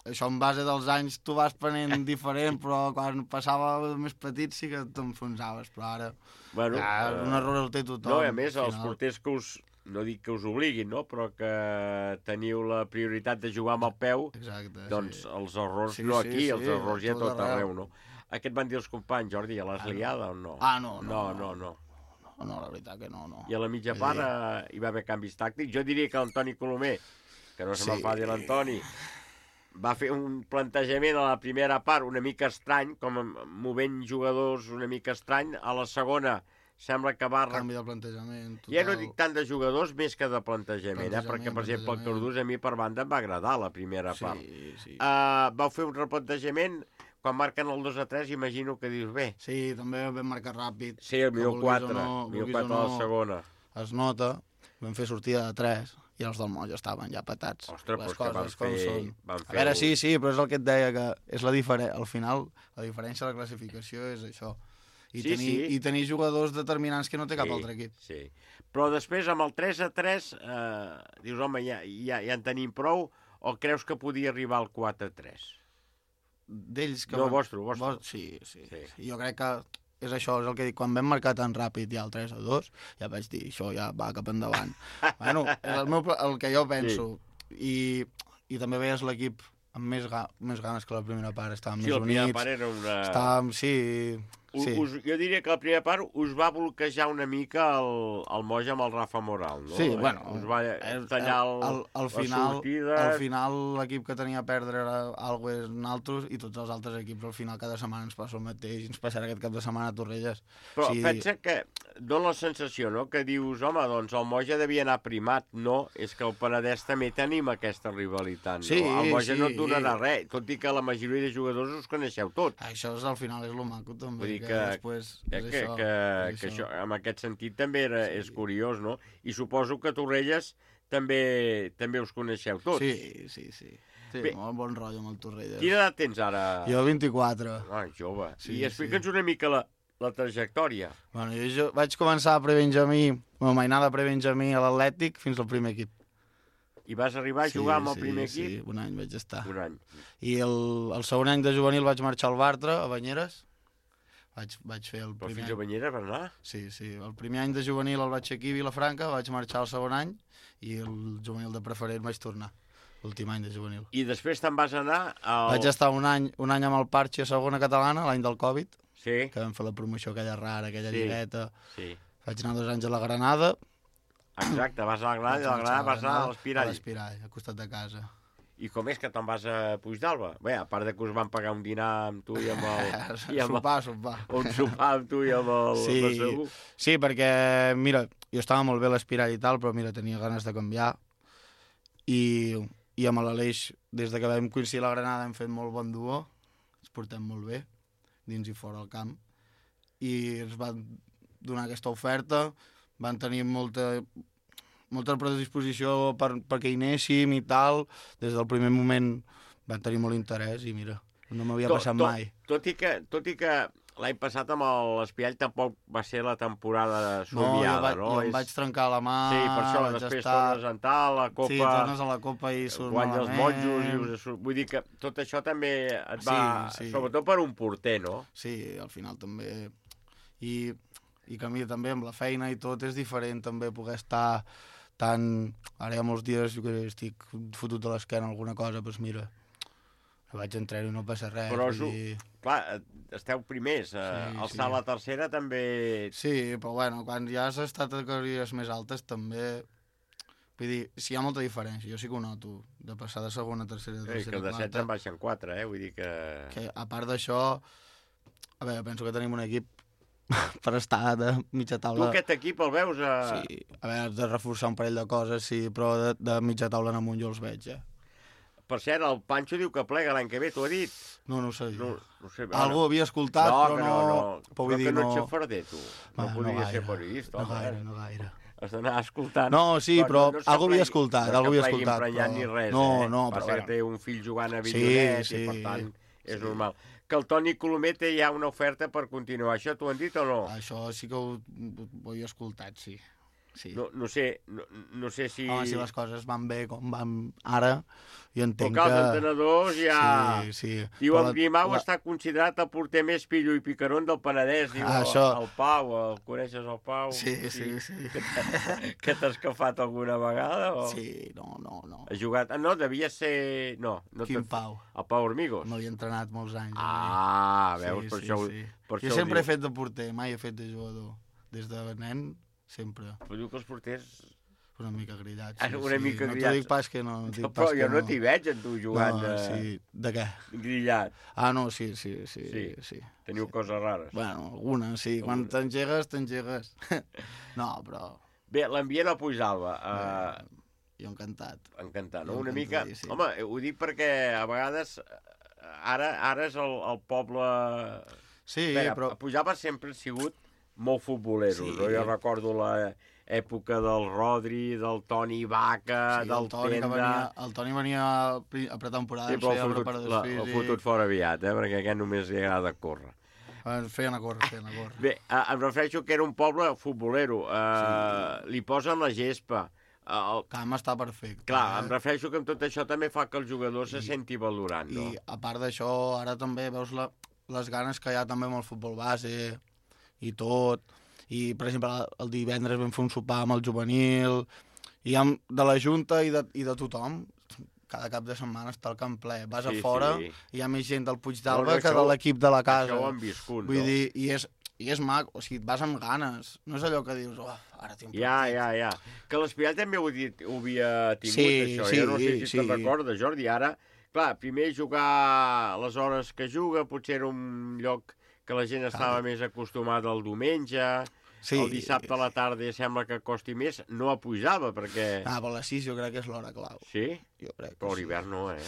això en base dels anys tu vas prenent diferent, però quan passava més petit sí que t'enfonsaves, però ara Bueno, ja, eh, un error el té tothom. No, i a més, al els final. porters que us... No dic que us obliguin, no? Però que teniu la prioritat de jugar amb el peu, Exacte, doncs sí. els errors Sí, no sí, aquí, sí, els errors ja a tot tot arreu. arreu, no? Què et van dir els companys, Jordi? Ja l'has Ah, no. liada o no? Ah, no, No, no, no, no. No, no, la veritat que no, no. I a la mitja Vull part dir- eh, hi va haver canvis tàctics. Jo diria que l'Antoni Colomer, que no se Sí. m'enfadi l'Antoni, va fer un plantejament a la primera part una mica estrany, com movent jugadors una mica estrany. A la segona sembla que va... Canvi de plantejament, total. Ja no dic tant de jugadors més que de plantejament, eh? Plantejament, perquè, per exemple, el plantejament. Cardús a mi per banda em va agradar la primera Sí, part. sí. Uh, vau fer un replantejament, quan marquen el dos a tres, imagino que dius, bé... Sí, també vam marcar ràpid. Sí, el que minut vulguis quatre, o no, minut vulguis quatre o de la segona. Es nota, vam fer sortida de tres i els del Moll estaven ja patats. Ostres, les doncs que van coses com fer- són. van A fer veure, un- sí, sí, però és el que et deia, que és la diferència. Al final, la diferència de la classificació és això. I, Sí, tenir, sí. I tenir jugadors determinants que no té cap Sí, altre equip. Sí, però després amb el tres a tres eh, dius, home, ja, ja, ja en tenim prou, o creus que podia arribar al quatre a tres? D'ells que No, van- vostre, vostre. Vos- Sí, sí, sí. Jo crec que és això, és el que dic. Quan vam marcar tan ràpid ja el tres a dos, ja vaig dir, això ja va cap endavant. Bueno, és el, meu, pla- el que jo penso. I, i també veies l'equip amb més, ga, més ganes que la primera part. Estàvem Sí, més la primera units. part era una- Estàvem, sí... U- sí. Us, jo diria que la primera part us va bloquejar una mica el, el Moja amb el Rafa Moral, no? Sí, Eh, bueno, us va tallar el, al, al les final, sortides. al final l'equip que tenia a perdre era Algues naltros i tots els altres equips al final cada setmana ens passa el mateix, ens passarà aquest cap de setmana a Torrelles. Però Sí, pensa que dona la sensació, no?, que dius, home, doncs el Moja devia anar primat. No, és que el Penedès també tenim aquesta rivalitat, no? Sí, El Moja sí. no et donarà res, tot i que la majoria de jugadors us coneixeu tots. Això és, al final és lo maco també, Vull dir que, que, després que, és que, això. que, és que això. això, en aquest sentit també era, és curiós, no? I suposo que Torrelles també també us coneixeu tots. Sí, sí, sí. Sí, Bé. molt bon rotllo amb el Torrelles. Quina edat tens ara? Jo vint-i-quatre. Ah, jove. Sí, I explica'ns una mica la, la trajectòria. Bueno, jo, jo vaig començar a prebenjamí, bueno, mainada a prebenjamí a l'Atlètic fins al primer equip. I vas arribar a jugar amb el primer sí, equip? Sí, un any vaig estar. Un any. I el, el segon any de juvenil vaig marxar al Bartra, a Banyeres. Vaig, vaig fer el Però primer fins a Banyeres vas anar? Sí, sí. El primer any de juvenil el vaig fer aquí a Vilafranca, vaig marxar el segon any i el juvenil de preferent vaig tornar, l'últim any de juvenil. I després te'n vas anar al... Vaig estar un any, un any amb el Parche a segona catalana, l'any del Covid, sí. que vam fer la promoció aquella rara, aquella Sí, lligueta. sí. Vaig anar dos anys a la Granada. Exacte, vas a la Granada i de la Granada vas anar a l'Espirall. A l'Espirall, al costat de casa. I com és que te'n vas a Puigdàlber? Bé, a part de que us van pagar un dinar amb tu i amb el... i amb Sopar, sopar. Un sopar amb tu i amb el... Sí, el Segur. sí, perquè, mira, jo estava molt bé a l'Espirall i tal, però mira, tenia ganes de canviar. I, i amb l'Aleix, des de que vam coincidir a la Granada, hem fet molt bon duo, ens portem molt bé, dins i fora del camp. I ens van donar aquesta oferta, van tenir molta, molta predisposició per, perquè hi anéssim i tal. Des del primer moment van tenir molt interès i mira, no m'havia Tot- passat tot- mai. Tot i que, tot i que l'any passat amb l'Espiall tampoc va ser la temporada No, jo, somiada, vaig, no? jo em És- vaig trencar la mà, Sí, per això, vaig després estar... tornes a entrar a la Copa... Sí, tornes a la Copa i surt guanya els malament. monjos, i us... vull dir que tot això també et va... Sí, sí. Sobretot per un porter, no? Sí, al final també... I, i que a mi també amb la feina i tot és diferent també poder estar tan... Ara hi ha molts dies que estic fotut de l'esquena alguna cosa, doncs mira, vaig entrar i no passa res. Però, vull dir... clar, esteu primers. Sí, el sí. salt a la tercera també... Sí, però bueno, quan ja has estat a categories més altes també... Vull dir, si hi ha molta diferència, jo sí que ho noto, de passar de segona a tercera a Eh, tercera que de quarta. setze en baixen quatre, eh? Vull dir que... Que a part d'això, a veure, penso que tenim un equip per estar de mitja Tu taula... aquest equip el veus a... Sí, a veure, has de reforçar un parell de coses, sí, però de, de mitja taula en amunt jo els veig, eh? Per cert, el Pancho diu que plega l'any que ve, t'ho ha dit? No, no ho sé. No, no sé. Algú havia escoltat, no, però que no... no... no. Però vull Però dir, que no no... ets xafarder, tu. Va, No no podries gaire, ser periodista, no home. gaire, no gaire. Has d'anar escoltant. No, sí, però no algú havia s'aplegui- escoltat, no algú havia s'aplegui escoltat, emprenyat però- ni res, No, eh? no, Passa però que bueno. té un fill jugant a Sí, Villonet sí, i, per tant, és sí. normal. Que el Toni Colomer té ja una oferta per continuar. Això t'ho han dit o no? Això sí que ho, ho he escoltat, sí. sí. No, no sé, no, no sé si... Home, si les coses van bé com van ara, jo entenc Però que els que... entrenadors ja... Sí, sí. Diu, Però el la- Grimau la- està considerat el porter més pillo i picarón del Penedès. Diu, Ah, el, això- el Pau, el coneixes el Pau? Sí, sí, sí. Que t'ha- Que t'has escafat alguna vegada? O... Sí, no, no, no. Ha jugat... Ah, no, devia ser... No, no Quin t'ha- Pau? El Pau Hormigos. M'havia entrenat molts anys. Ah, sí, veus, per sí, això ho- sí. per Jo això ho sempre he diu. fet de porter, mai he fet de jugador. Des de nen, sempre. Però diu que els porters... Una mica grillats. Ah, Sí, una sí. mica no grillats. t'ho dic pas que no. no t'ho dic No, pas però que jo no t'hi veig, en tu, jugant no, de- Sí. De què? Grillat. Ah, no, sí, sí, sí. Sí. sí. Teniu sí. coses rares. Bueno, algunes, sí. Quan t'engegues, t'engegues. No, però... Bé, l'ambient a Puigdàlber. Uh, jo encantat. Encantat, no? Jo Una mica... encantadíssim. Home, ho dic perquè a vegades... eh, Ara, ara és el, el poble... Sí, Espera, però- A Puigdàlber sempre han sigut molt futboleros, Sí. no? Jo recordo l'època del Rodri, del Toni Vaca, Sí, del el Toni, que Tenda... venia, el Toni venia a pri- a pretemporada, Sí, ens però feia el fotut, preparadors la, el físics. fotut fora aviat, eh? Perquè a aquest només li agrada córrer. Ens feien a córrer, feien a córrer. Bé, eh, em refereixo que era un poble futbolero. Eh, sí. Li posen la gespa. Eh, el... Camp està perfecte. Clar, eh? em refereixo que amb tot això també fa que el jugador se senti valorant, no? I a part d'això, ara també veus la, les ganes que hi ha també amb el futbol base i tot. I, per exemple, el divendres vam fer un sopar amb el juvenil, i amb, de la Junta i de, i de tothom, cada cap de setmana està el camp ple. Vas Sí, a fora sí. i hi ha més gent del No, Puigdàlber no, que això de ho- l'equip de la casa. això ho han viscut, Vull no? dir, i és, i és maco, o sigui, et vas amb ganes. No és allò que dius, oh, ara tinc un Ja, partit. ja, ja. Que l'Espiall també ho, dit, ho havia tingut, Sí, això. sí, jo no sé si sí. te'n recordes, Jordi. Ara, clar, primer jugar les hores que juga, potser era un lloc que la gent estava més acostumada el diumenge, Sí. el dissabte a la tarda sembla que costi més, no a Puigdàlber, perquè... Ah, però a les sis jo crec que és l'hora clau. Sí? Jo crec que Però a sí. l'hivern no, eh?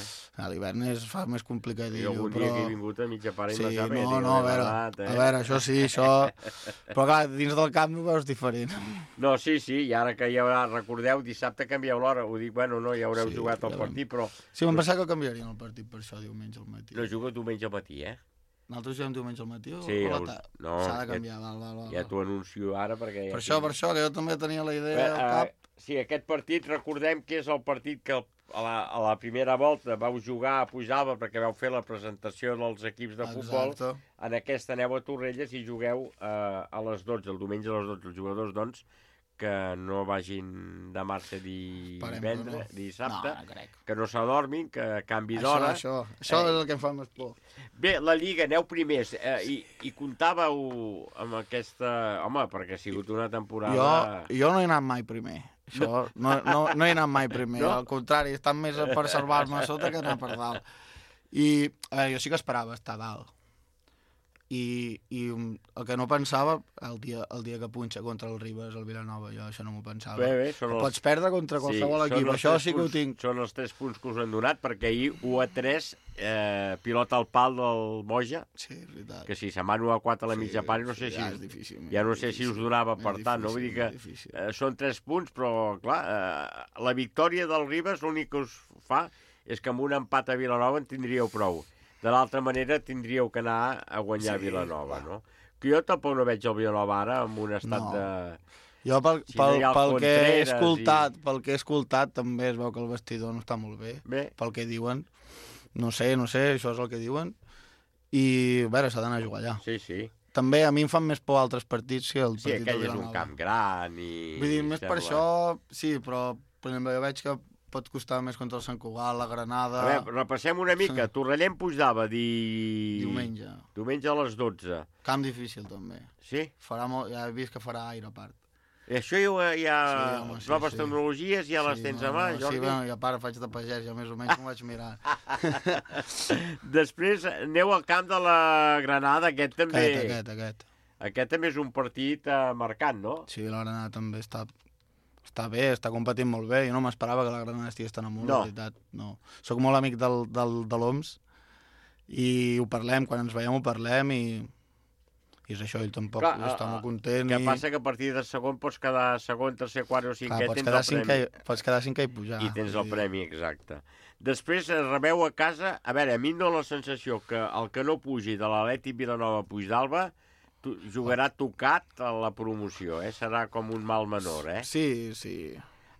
A l'hivern es fa més complicat. Jo algun però... dia que he vingut a mitja part i Sí, no sap, no, no, a veure, eh? a veure, això sí, això... Però clar, dins del camp ho veus diferent. No, sí, sí, i ara que hi haurà, recordeu, dissabte canvieu l'hora, ho dic, bueno, no, ja haureu Sí, jugat el ja partit, però... Sí, m'han pensat que canviarien el partit per això diumenge al matí. No jugo diumenge al matí, eh? Nosaltres juguem diumenge al matí o, Sí, o a la us- tarda? no, S'ha de ja- canviar, val, val, val. Ja t'ho anuncio ara perquè... Per ja això, tinc- per això, que jo també tenia la idea Bé, al cap. eh, sí, aquest partit, recordem que és el partit que el, a, la, a la primera volta vau jugar a Puigdàlber perquè vau fer la presentació dels equips de futbol. Exacte. En aquesta aneu a Torrelles i jugueu eh, a les dotze, el diumenge a les dotze. Els jugadors, doncs, que no vagin de marxa divendres, no. dissabte, No, no crec. que no s'adormin, que canvi Això, d'hora. això, això Eh, és el que em fa més por. Bé, la Lliga, aneu primers, eh, i, i comptàveu amb aquesta... Home, perquè ha sigut una temporada... Jo, jo no he anat mai primer. Això, no, no, no he anat mai primer. No? Al contrari, he estat més per salvar-me a sota que anar per dalt. I, a veure, jo sí que esperava estar a dalt. I, i el que no pensava, el dia, el dia que punxa contra el Ribes, el Vilanova, jo això no m'ho pensava. Bé, bé, són Que els- Pots perdre contra qualsevol Sí, equip, són els això tres sí que ho punts- tinc. Són els tres punts que us han donat, perquè ahir u a tres, eh, pilota al pal del Moja, sí, és veritat. que si se'n van u a quatre a la Sí, mitja part, no sé sí, si, ja és difícil, ja no és sé si difícil, us donava és per tant, no? Vull dir que difícil, eh, són tres punts, però, clar, eh, la victòria del Ribes l'únic que us fa és que amb un empat a Vilanova en tindríeu prou. De l'altra manera tindríeu que anar a guanyar Sí, Vilanova, no? Que jo tampoc no veig el Vilanova ara en un estat No. de... Jo, pel, Si no pel, hi ha el pel que he Contreras escoltat, pel que he escoltat, també es veu que el vestidor no està molt bé, Bé. pel que diuen. No sé, no sé, això és el que diuen. I, a veure, s'ha d'anar a jugar allà. Sí, sí. També a mi em fan més por altres partits que el Sí, partit aquell del és un Vilanova. camp gran i... Vull dir, més per sembla- això, sí, però per exemple, jo veig que pot costar més contra el Sant Cugat, la Granada... A veure, repassem una mica. Torrellem Puigdava, di... Diumenge. Diumenge a les dotze. Camp difícil, també. Sí? Farà molt... Ja he vist que farà aire a part. I això hi ha, hi ha Sí, home, sí, noves sí. tecnologies, ja les Sí, tens no, a mà, no, Jordi? Sí, bueno, i a part faig de pagès, ja més o menys m'ho vaig mirar. Després aneu al camp de la Granada, aquest també... Aquest, aquest, aquest. Aquest també és un partit eh, marcant, no? Sí, la Granada també està, està bé, està competint molt bé. Jo no m'esperava que la Granada estigués tan amunt, No. la veritat. No. Soc molt amic del, del, de l'O M S i ho parlem, quan ens veiem ho parlem i, i és això, ell tampoc Clar, està eh, molt content. que i... passa que a partir de segon pots quedar segon, tercer, quart o cinquè, Clar, pots, tens quedar el cinquè, premi. i- pots quedar cinquè i pujar. I tens el vull dir. premi, exacte. Després eh, rebeu a casa... A veure, a mi em dóna la sensació que el que no pugi de l'Atlètic Vilanova Puigdalba tu, jugarà tocat a la promoció, eh? Serà com un mal menor, eh? Sí, sí.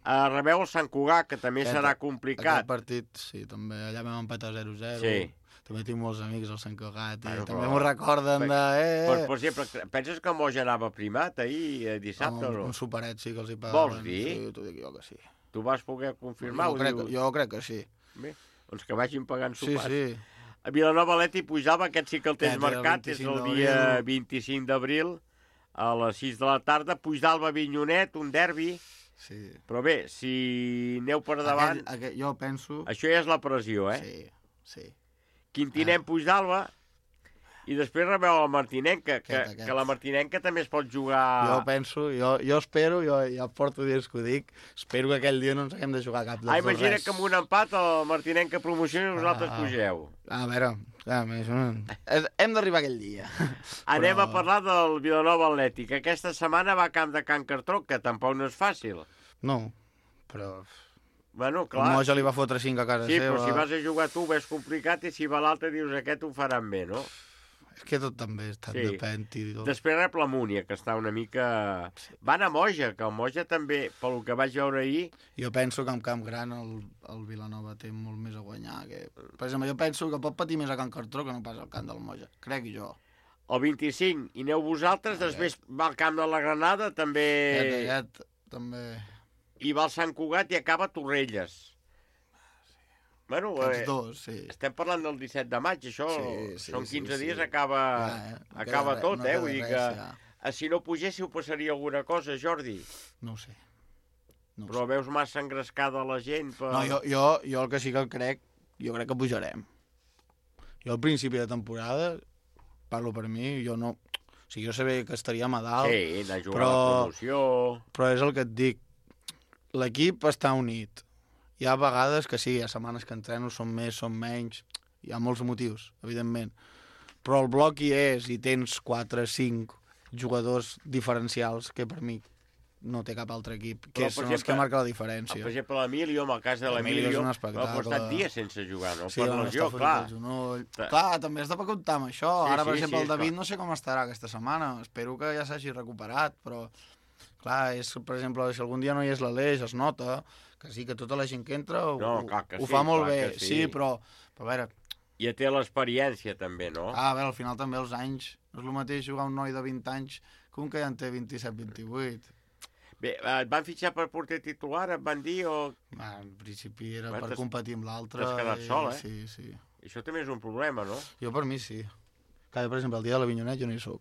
Uh, rebeu el Sant Cugat, que també Aquest- serà complicat. Aquest partit, sí, també. Allà vam empatar zero zero. Sí. També tinc molts amics al Sant Cugat i Bueno, també però- m'ho recorden de... Eh, Per, eh. per exemple, penses que Moja anava primat ahir, eh, dissabte, un, o no? un superet sí que els hi pagaven. Vols dir? Sí, t'ho dic jo que sí. Tu vas poder confirmar? Jo ho crec, dius? jo crec que sí. Bé, doncs que vagin pagant Sí, sopars. sí. A Vilanova Atlètic Puigdava, aquest sí que el tens Aquest era el marcat, és el vint-i-cinc dia d'abril. vint-i-cinc d'abril, a les sis de la tarda. Puigdalba Vinyonet, un derbi. Sí. Però bé, si aneu per davant... Aquest, aquest, jo penso... Això ja és la pressió, eh? Sí, sí. Quintinem Puigdalba, i després rebeu el Martinenca, que, Aquest, aquest. que la Martinenca també es pot jugar... Jo penso, jo, jo espero, jo ja porto dies que ho dic, espero que aquell dia no ens haguem de jugar cap dels Ah, dos imagina res. que amb un empat el Martinenca promociona i vosaltres Ah. pugeu. A veure, clar, això no... és- hem d'arribar aquell dia. Anem Però- a parlar del Vilanova Atlètic. Aquesta setmana va a camp de Can Cartró, que tampoc no és fàcil. No, però... Bueno, El clar. Moja li va fotre cinc a casa Sí, seva. però si vas a jugar tu ves complicat i si va l'altre dius aquest ho faran bé, no? És que tot també està Sí. depèn. I tot. Després rep la Múnia, que està una mica... Van a Moja, que el Moja també, pel que vaig veure ahir... Jo penso que en Camp Gran el, el Vilanova té molt més a guanyar. Que... Per exemple, jo penso que pot patir més a Can Cartró que no pas al camp del Moja. Crec jo. El vint-i-cinc, i aneu vosaltres, després va al camp de la Granada, també... Aquest, aquest, també... I va al Sant Cugat i acaba a Torrelles. Bueno, Aquests eh, dos, sí. estem parlant del disset de maig, això, Sí, sí, són sí, quinze sí. dies, acaba, Ja, eh, no acaba queda tot, res, no eh? queda Vull dir res, que ja. eh, si no pugéssiu passaria alguna cosa, Jordi. No ho sé. No ho Però veus massa engrescada la gent per... No, jo, jo, jo el que sí que crec, jo crec que pujarem. Jo al principi de temporada, parlo per mi, jo no... O sigui, jo sabia que estaríem a dalt, Sí, anar a jugar però, a la promoció... però és el que et dic. L'equip està unit. Hi ha vegades que sí, hi ha setmanes que entreno, són més, són menys, hi ha molts motius, evidentment. Però el bloc hi és i tens quatre, cinc jugadors diferencials que per mi no té cap altre equip, que Però, per són els exemple, que marquen la diferència. Per exemple, l'Emilio, en el cas de L'Emilio és l'Emilio, un va espectacle. estat dies sense jugar, no? Sí, per bueno, lesió, està fotut clar. el genoll. Clar. Clar, també has de comptar amb això. Sí, Ara, per sí, exemple, sí, el David clar. no sé com estarà aquesta setmana. Espero que ja s'hagi recuperat, però... Clar, és, per exemple, si algun dia no hi és l'Aleix, es nota que sí, que tota la gent que entra ho, No, clar que ho sí, fa molt clar bé. que sí. Sí, però, però a veure... I té l'experiència, també, no? Ah, a veure, al final també els anys... No és el mateix jugar un noi de vint anys que un que ja en té vint-i-set vint-i-vuit. Bé, et van fitxar per porter titular, et van dir, o... Ah, en principi era Va, per t'has- competir amb l'altre. T'has quedat i- sol, eh? Sí, sí. Això també és un problema, no? Jo per mi sí. Cada, per exemple, el dia de l'Avinyonet jo no hi soc.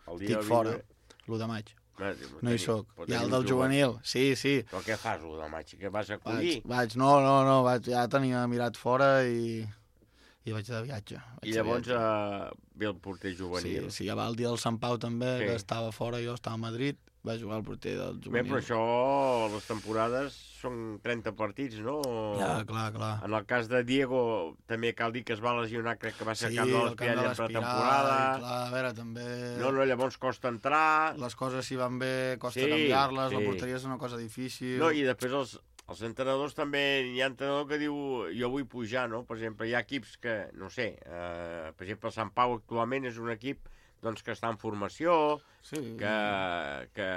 El dia Estic del fora, Vinyonet- l'u de maig. Ah, No hi tenir- soc. pot Hi ha tenir el del un juvenil, sí, sí. Però què fas, el del maig? Que vas a collir? Vaig, vaig, no, no, no, vaig, ja tenia mirat fora i, i vaig de viatge. Vaig I de llavors viatge. uh, ve el porter Sí, juvenil. sí, ja va el dia del Sant Pau també, Sí. que estava fora, jo estava a Madrid, va jugar el porter del Bé, juvenil. però això, les temporades són trenta partits, no? Ja, clar, clar. En el cas de Diego, també cal dir que es va lesionar, crec que va ser Sí, al camp de el camp de l'Espiral en l'Espiral, pretemporada. i clar, a veure, també... No, no, llavors costa entrar. Les coses si van bé, costa Sí, canviar-les, sí. la porteria és una cosa difícil. No, i després els, Els entrenadors també, hi ha entrenador que diu jo vull pujar, no? Per exemple, hi ha equips que, no sé, eh, per exemple, el Sant Pau actualment és un equip doncs, que està en formació, sí. que, que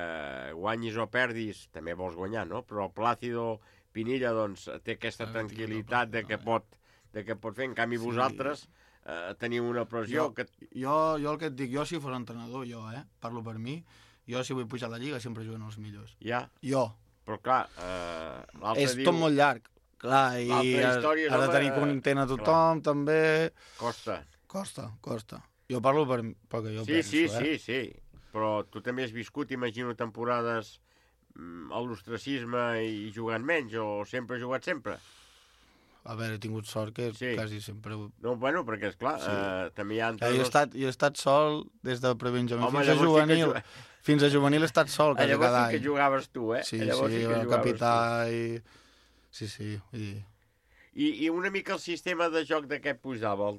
guanyis o perdis, també vols guanyar, no? Però el Plácido Pinilla doncs, té aquesta tranquil·litat de que pot, de que pot fer, en canvi sí. vosaltres eh, teniu una pressió... Jo, que... jo, jo el que et dic, jo si fos entrenador, jo, eh? Parlo per mi, jo si vull pujar a la Lliga sempre juguen els millors. Ja. Jo. Però clar, eh, l'altre és diu... tot molt llarg, clar, i has, has de tenir content a tothom, clar. també... Costa. Costa, costa. Jo parlo per, pel que jo sí, penso, sí, eh? Sí, sí, sí, però tu també has viscut, imagino, temporades mm, a l'ostracisme i jugant menys, o sempre has jugat sempre? A veure, he tingut sort que sí. quasi sempre... No, bueno, perquè, esclar, sí. eh, també hi ha... Ja, jo, he estat, jo he estat sol des de prebenjamí fins a juvenil. Sí fins a juvenil he estat sol quasi cada any. Llavors sí que jugaves tu, eh? Sí, llavors sí, sí que el capità i... Sí, sí. I... I, I una mica el sistema de joc d'aquest Puigdàlber,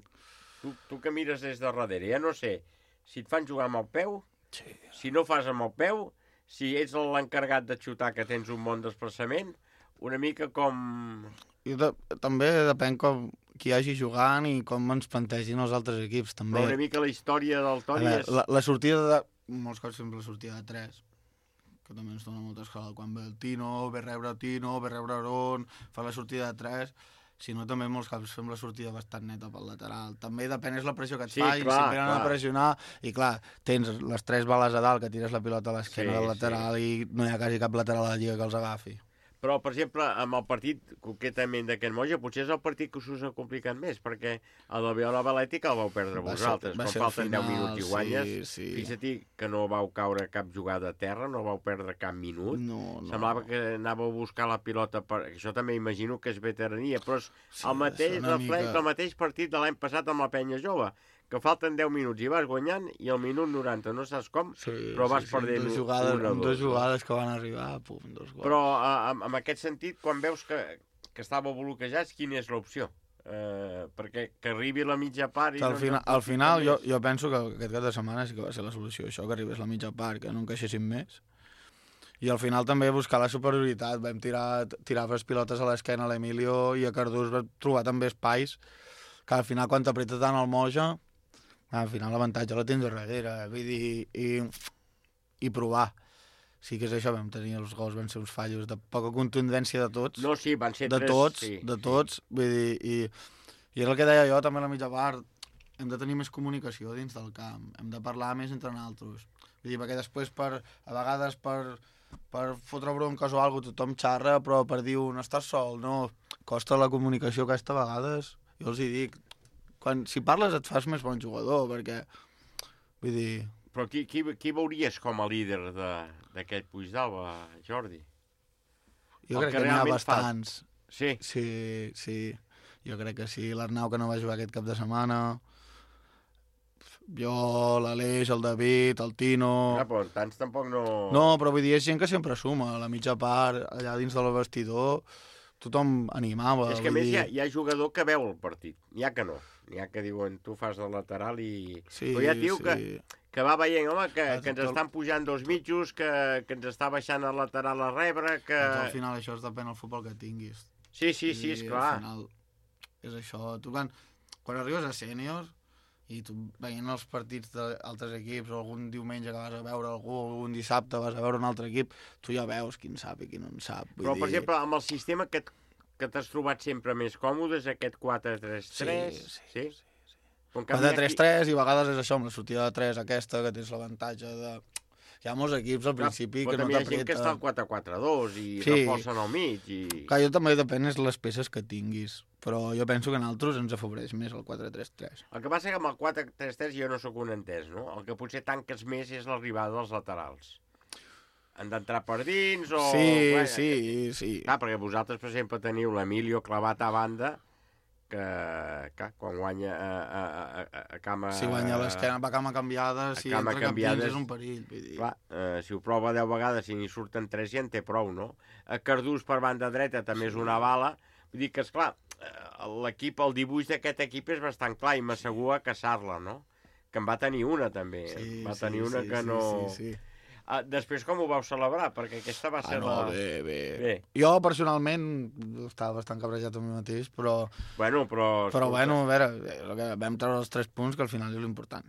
tu, tu que mires des de darrere, ja no sé, si et fan jugar amb el peu, sí. si no fas amb el peu, si ets l'encarregat de xutar que tens un bon desplaçament, una mica com... I de, també depèn com qui hi hagi jugant i com ens plantegin els altres equips, també. Però una mica la història del Toni és... La, la sortida de... Molts cops sempre la sortida de tres, que també ens dona molta escola. Quan ve el Tino, ve rebre el Tino, ve rebre Aron, fa la sortida de tres... Si no, també molts cops fem la sortida bastant neta pel lateral. També depèn, és la pressió que et sí, fa, clar, i si venen clar. a pressionar, i clar, tens les tres bales a dalt que tires la pilota a l'esquena sí, del lateral sí. i no hi ha quasi cap lateral a la lliga que els agafi. Però, per exemple, amb el partit concretament d'aquest Moja, potser és el partit que us ha complicat més, perquè el de Viola Balètica el vau perdre va vosaltres. Ser, Quan falten final, deu minuts i guanyes, sí, sí. fixa't que no vau caure cap jugada a terra, no vau perdre cap minut. No, no. Semblava que anàveu a buscar la pilota, per... això també imagino que és veterania, però és sí, el mateix reflex, mica... el mateix partit de l'any passat amb la Penya Jove, que falten deu minuts i vas guanyant i al minut noranta, no saps com, sí, però vas sí, sí, perdent dos jugades, una o dos. Dos jugades que van arribar, pum, dos gols. Però en, en aquest sentit, quan veus que, que estàveu bloquejats, quina és l'opció? Eh, perquè que arribi la mitja part... I al no, final, no, al final jo, jo penso que aquest cap de setmana sí que va ser la solució, això, que arribés la mitja part, que no encaixessin més. I al final també buscar la superioritat, vam tirar, tirar les pilotes a l'esquena a l'Emilio i a Cardús vam trobar també espais que al final quan t'apreta tant el Moja, al final l'avantatge la tens darrere, vull dir, i, i provar. Sí que és això, vam tenir els gols, van ser uns fallos de poca contundència de tots. No, sí, van ser de tres... Tots, sí, de tots, sí. Vull dir, i, i és el que deia jo també a la mitja part, hem de tenir més comunicació dins del camp, hem de parlar més entre nosaltres. Vull dir, perquè després, per, a vegades, per, per fotre bronques o alguna cosa, tothom xarra, però per dir un estàs sol, no, costa la comunicació aquesta a vegades, jo els hi dic, quan, si parles et fas més bon jugador, perquè, vull dir... Però qui, qui, qui veuries com a líder d'aquest Puigdàlber, Jordi? Jo crec que n'hi ha bastants. Fa... Sí? Sí, sí, jo crec que sí. L'Arnau, que no va jugar aquest cap de setmana, jo, l'Aleix, el David, el Tino... Ja, però tants tampoc no... No, però vull dir, és gent que sempre suma, a la mitja part, allà dins del vestidor... Tothom animava. És que a més dir... hi, ha, hi ha jugador que veu el partit, n'hi ha que no. N'hi ha que diuen, tu fas de lateral i... Sí, però hi ha tio sí. que, que va veient, home, que, que ens estan pujant dos mitjos, que, que ens està baixant el lateral a rebre, que... Doncs al final això és depèn del futbol que tinguis. Sí, sí, sí, esclar. Al final és això. Tu quan, quan arribes a sènior i tu veient els partits d'altres equips, o algun diumenge que vas a veure algú, o un dissabte vas a veure un altre equip, tu ja veus quin sap i quin no en sap. Vull Però, dir... per exemple, amb el sistema que, que t'has trobat sempre més còmode, és aquest quatre tres tres, sí? Sí, sí. sí, sí. quatre tres tres aquí... i a vegades és això, amb la sortida de tres aquesta, que tens l'avantatge de... Hi ha molts equips al principi Clar, que no t'apreten. Però també hi ha gent que està al quatre quatre dos i sí. reforcen al mig. I... Clar, jo també depèn de les peces que tinguis, però jo penso que en altres ens afavoreix més el quatre tres tres. El que passa que amb el quatre tres tres jo no sóc un entès, no? El que potser tanques més és l'arribada dels laterals. Han d'entrar per dins o... Sí, bueno, sí, sí. Clar, perquè vosaltres, per exemple, teniu l'Emilio clavat a banda, que, que quan guanya a, a, a, a cama... Si guanya a l'esquena, va a cama canviada, si entra cap dins és un perill. Vull dir. Clar, eh, si ho prova deu vegades i n'hi surten tres ja en té prou, no? A Cardús per banda dreta també és una bala. Vull dir que, esclar, l'equip, el dibuix d'aquest equip és bastant clar i m'assegura a caçar-la, no? Que en va tenir una, també. Sí, va sí, tenir una sí, que sí, no... Sí, sí. Uh, després com ho vau celebrar? Perquè aquesta va ser ah, no, la... bé, bé, bé. Jo, personalment, estava bastant cabrejat amb mi mateix, però... Bueno, però... Però, bueno, a veure, que vam treure els tres punts, que al final és l'important.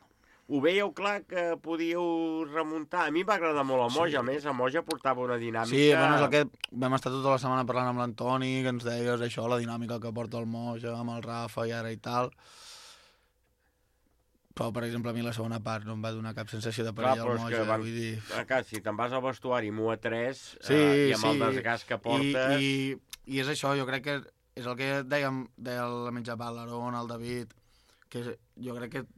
Ho veieu clar que podíeu remuntar? A mi va agradar molt el Moja, sí. A més, el Moja portava una dinàmica... Sí, bueno, és el que vam estar tota la setmana parlant amb l'Antoni, que ens deies això, la dinàmica que porta el Moja, amb el Rafa i ara i tal... Però, per exemple, a mi la segona part no em va donar cap sensació de perill al Moja, van... vull dir... Clar, si te'n vas al vestuari amb u a tres sí, eh, i amb sí. el desgast que portes... I, i, I és això, jo crec que és el que dèiem, deia la mitja part, l'Aaron, el David, que és, jo crec que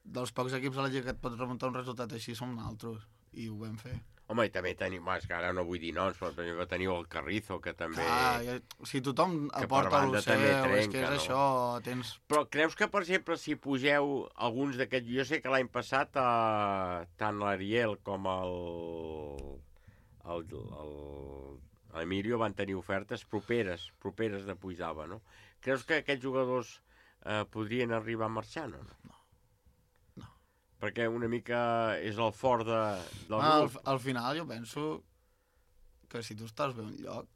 dels pocs equips a la Lliga que et pot remuntar un resultat així som nosaltres, i ho vam fer. Home, i també tenim, és que ara no vull dir noms, però per exemple teniu el Carrizo, que també... Ah, si tothom aporta el seu, és que és no? Això, tens... Però creus que, per exemple, si pugeu alguns d'aquests... Jo sé que l'any passat eh, tant l'Ariel com el... el, el l'Emilio van tenir ofertes properes, properes de Puigdava, no? Creus que aquests jugadors eh, podrien arribar a marxar, no? No. Perquè una mica és el fort de, del ah, grup. Al, al final jo penso que si tu estàs bé un lloc...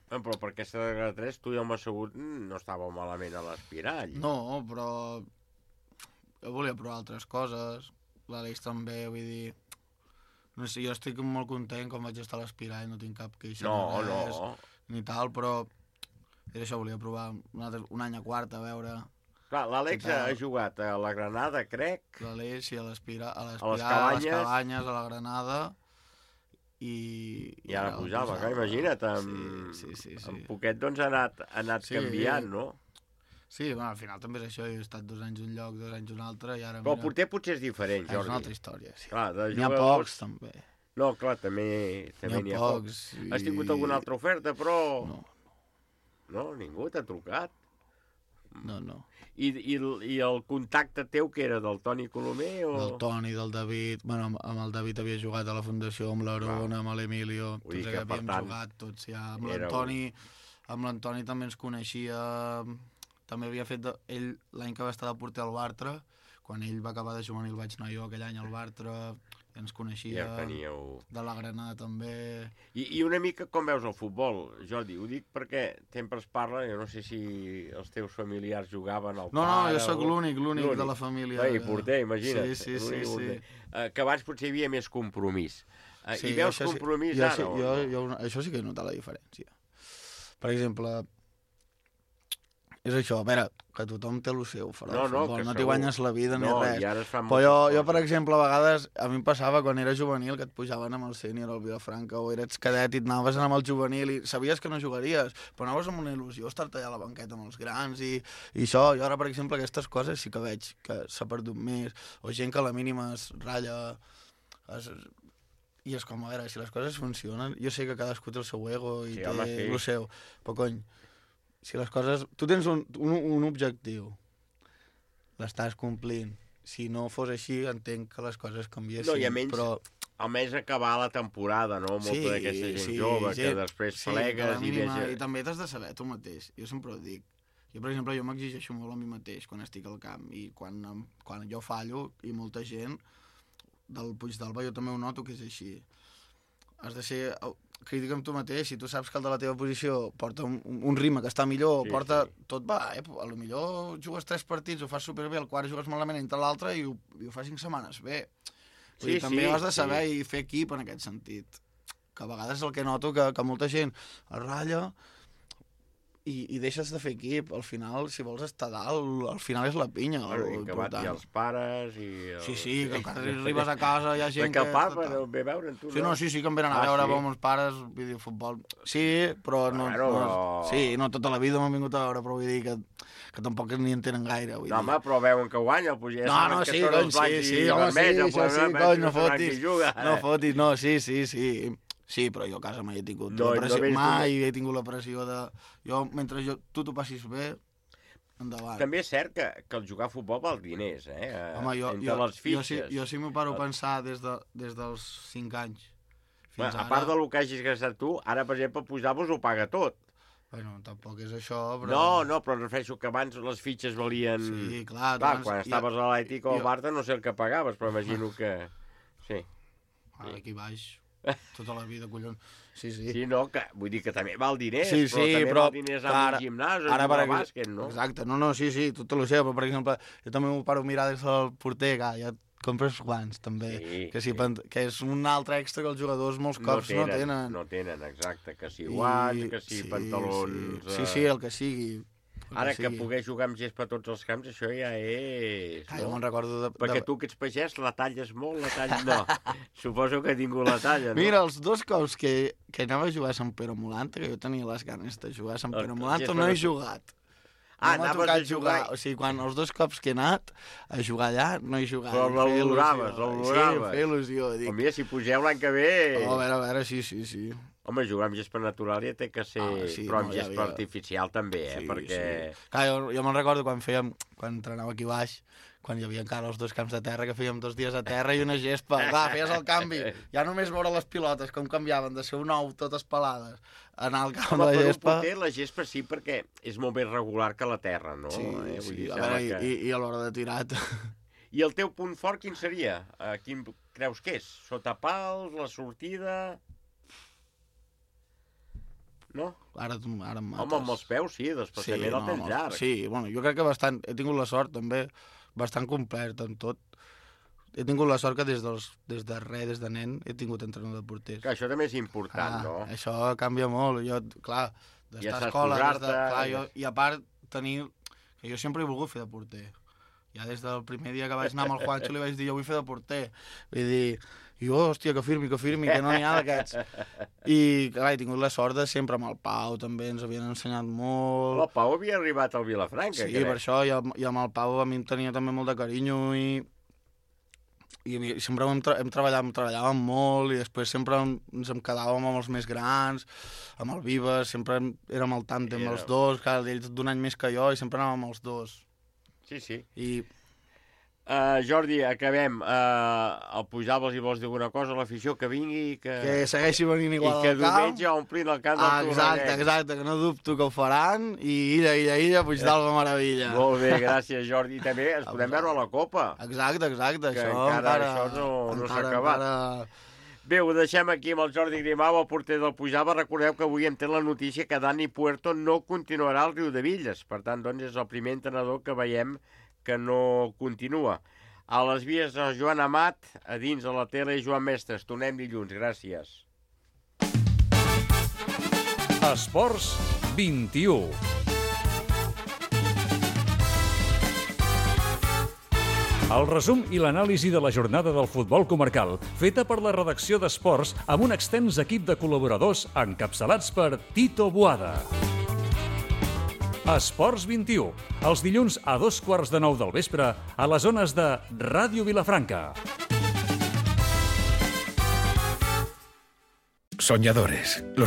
Eh, però per aquesta de tres tu i el Massagut no estàveu malament a l'Espirall. No, però jo volia provar altres coses, l'Àlex també, vull dir... No sé, jo estic molt content com vaig estar a l'Espirall, no tinc cap queixa no, de res, no. ni tal, però és això, volia provar un, altre, un any a quarta, a veure... Clar, l'Àlex ha jugat a la Granada, crec. L'Àlex i a l'Espirà, a les Cabanyes. a les Cabanyes, a la Granada, i... I ara pujava, clar, imagina't, amb, sí, sí, sí, sí. amb poquet doncs ha anat, ha anat sí, canviant, no? Sí, bueno, al final també és això, jo he estat dos anys un lloc, dos anys un altre, i ara... Però el porter potser és diferent, Jordi. És una altra història, sí. Clar, n'hi ha pocs, també. No, clar, també n'hi ha, ha pocs. I... Has tingut alguna altra oferta, però... No. No, ningú t'ha trucat. No, no. I, i, I el contacte teu, que era del Toni Colomer? O... Del Toni, del David... Bueno, amb el David havia jugat a la Fundació, amb l'Aaron, amb l'Emilio, tots que havíem tant, jugat, tots ja. Amb l'Antoni amb l'Antoni també ens coneixia... També havia fet... De... Ell, l'any que va estar de porter al Bartra, quan ell va acabar de juvenil vaig anar jo aquell any al Bartra, ens coneixia, ja teníeu... de la Granada també... I, I una mica com veus el futbol, Jordi? Ho dic perquè sempre es parla, jo no sé si els teus familiars jugaven al no, pare... No, no, jo sóc o... l'únic, l'únic de la família. Vai, porter, imagina't. Sí, sí, sí. sí. Uh, que abans potser hi havia més compromís. Uh, sí, I veus compromís sí, ara? Jo, jo, jo, això sí que he notat la diferència. Per exemple... És això, a veure, que tothom té el seu fora no, del futbol, no, no t'hi guanyes la vida no, ni res. I ara es fan però jo, jo, per exemple, a vegades, a mi em passava quan era juvenil que et pujaven amb el sènior al Vilafranca o eres cadet i et anaves amb el juvenil i sabies que no jugaries, però anaves amb una il·lusió estar-te allà a la banqueta amb els grans i, i això. Jo ara, per exemple, aquestes coses sí que veig que s'ha perdut més, o gent que a la mínima es ratlla... Es, i és com, a veure, si les coses funcionen, jo sé que cadascú té el seu ego i sí, té home, sí. el seu, però cony, si les coses... Tu tens un, un, un objectiu, l'estàs complint. Si no fos així, entenc que les coses canviessin, no, i almenys, però... almenys acabar la temporada, no? Molta sí, d'aquesta gent sí, jove, gent, que després sí, plegues i mínima, veges... I també t'has de saber tu mateix, jo sempre ho dic. Jo, per exemple, jo m'exigeixo molt a mi mateix quan estic al camp, i quan, quan jo fallo, i molta gent del Puigdalba, jo també ho noto que és així. Has de ser crític amb tu mateix, si tu saps que el de la teva posició porta un, un ritme que està millor, sí, porta... Sí. Tot va, eh? A lo millor jugues tres partits, ho fas superbé, el quart jugues malament entre l'altre i, i ho fas cinc setmanes bé. Sí, dir, també sí, has de saber sí. I fer equip en aquest sentit. Que a vegades és el que noto, que, que molta gent es ratlla i, i deixes de fer equip. Al final, si vols estar dalt, al final és la pinya. Bueno, i que van i els pares i... El... Sí, sí, que quan arribes a casa hi ha gent que... Que el papa no ve a veure tu, sí, no? Sí, sí, que em venen a ah, veure sí? amb els pares, videofutbol. Sí, però no, bueno, no... Però... Sí, no tota la vida m'han vingut a veure, però vull dir que, que tampoc ni en tenen gaire. Vull no, dir. home, però veuen que guanya, pues ja no, no, sí, cony, sí, sí, home, sí, això sí, cony, no fotis, no fotis, no, sí, sí, sí. Sí, però jo a casa mai he tingut no, la pressió, no mai he tingut la pressió de... Jo, mentre jo, tu t'ho passis bé, endavant. També és cert que, que el jugar a futbol val diners, eh? Home, jo, entre jo, les fitxes. Jo, si, jo si m'ho paro a pensar des, de, des dels cinc anys fins bueno, ara... A part del que hagis gastat tu, ara, per exemple, Puigdalba ho paga tot. Bueno, tampoc és això, però... No, no, però refereixo que abans les fitxes valien... Sí, clar. clar abans... Quan estaves a l'Atlètic o al Barça no sé el que pagaves, però imagino que... Sí. Aquí baix, tota la vida, collons. Sí, sí. Sí, no, que, vull dir que també val diners, sí, però sí, també però, val diners amb ara, un gimnàs o ara, jugar per a bàsquet, no? Exacte, no, no, sí, sí, tot el sé, però per exemple, jo també m'ho paro a mirar des del porter, que ja et compres guants, també, sí, que, sí, sí. que és un altre extra que els jugadors molts cops no tenen. No tenen, no tenen exacte, que si guants, I, que si sí, pantalons... Sí, sí, sí, el que sigui. Ara que, que poder jugar amb gespa a tots els camps, això ja és... Ah, no? Jo me'n recordo de... Perquè de... tu que ets pagès, la talles molt, la talles... No, suposo que he tingut la talla, no? Mira, els dos cops que, que anava a jugar a Sant Pere Molanta, que jo tenia les ganes de jugar a Sant Pere Molanta, no he jugat. Ah, no anaves a jugar... jugar... O sigui, quan els dos cops que he anat a jugar allà, no he jugat. Però l'oloraves, l'oloraves. Sí, feia il·lusió. Dic... Mira, si pugeu l'any que ve... Oh, a veure, a veure, sí, sí, sí. Home, jugar amb gespa natural ja té que ser... Ah, sí, però amb no, gespa ja havia... artificial també, eh? Sí, perquè... Sí. Clar, jo, jo me'n recordo quan fèiem... Quan entrenava aquí baix, quan hi havia encara els dos camps de terra, que fèiem dos dies a terra i una gespa. Clar, feies el canvi. Ja només veure les pilotes, com canviaven de ser un ou totes pelades, anar al camp Home, de la gespa... Home, per un la gespa sí, perquè és molt més regular que la terra, no? Sí, eh? sí. Dir, A veure, que... i, i a l'hora de tirar... I el teu punt fort quin seria? Uh, quin creus que és? Sota pals, la sortida... No? Ara, ara em mates. Home, amb els peus sí, desplaçament sí, el tens no, llarg. Sí, bueno, jo crec que bastant... He tingut la sort, també, bastant complet en tot. He tingut la sort que des, dels, des de res, des de nen, he tingut entrenador de porters. Que això també és important, ah, no? Això canvia molt. Jo, clar, d'estar a escola... Des de, clar, jo, I a part, tenir... Que jo sempre he volgut fer de porter. Ja des del primer dia que vaig anar amb el Juancho li vaig dir, jo vull fer de porter. Vull dir... I jo, hòstia, que firmi, que firmi, que no n'hi ha d'aquests. I, clar, he tingut la sort de sempre amb el Pau, també ens havien ensenyat molt. El Pau havia arribat al Vilafranca, sí, crec. Sí, per això, i, el, i amb el Pau a mi em tenia també molt de carinyo i, i sempre hem, tra hem treballat, hem treballàvem molt i després sempre ens em quedàvem amb els més grans, amb el Vives, sempre érem al tàndem Era... els dos, clar, ells d'un any més que jo i sempre anàvem els dos. Sí, sí. I... Uh, Jordi, acabem. Uh, el Pujables i vols dir alguna cosa a l'afició que vingui que... que segueixi venint igual al camp i que diumenge omplin el camp del ah, exacte, exacte, que no dubto que ho faran i illa, illa, illa, Puigdàlber meravella. Molt bé, gràcies Jordi. També ens podem veure a la Copa. Exacte, exacte, que això encara, encara això no, no s'ha acabat. Encara... Bé, ho deixem aquí amb el Jordi Grimau, el porter del Puigdàlber. Recordeu que avui hem tret la notícia que Dani Puerto no continuarà al Riudevilles. Per tant, doncs, és el primer entrenador que veiem que no continua. A les vies de Joan Amat, a dins de la tele Joan Mestres. Tornem dilluns, gràcies. Esports vint-i-u. El resum i l'anàlisi de la jornada del futbol comarcal, feta per la redacció d'Esports amb un extens equip de col·laboradors encapçalats per Tito Boada. Esports vint-i-u, els dilluns a dos quarts de nou del vespre a les zones de Ràdio Vilafranca. Soñadores. Los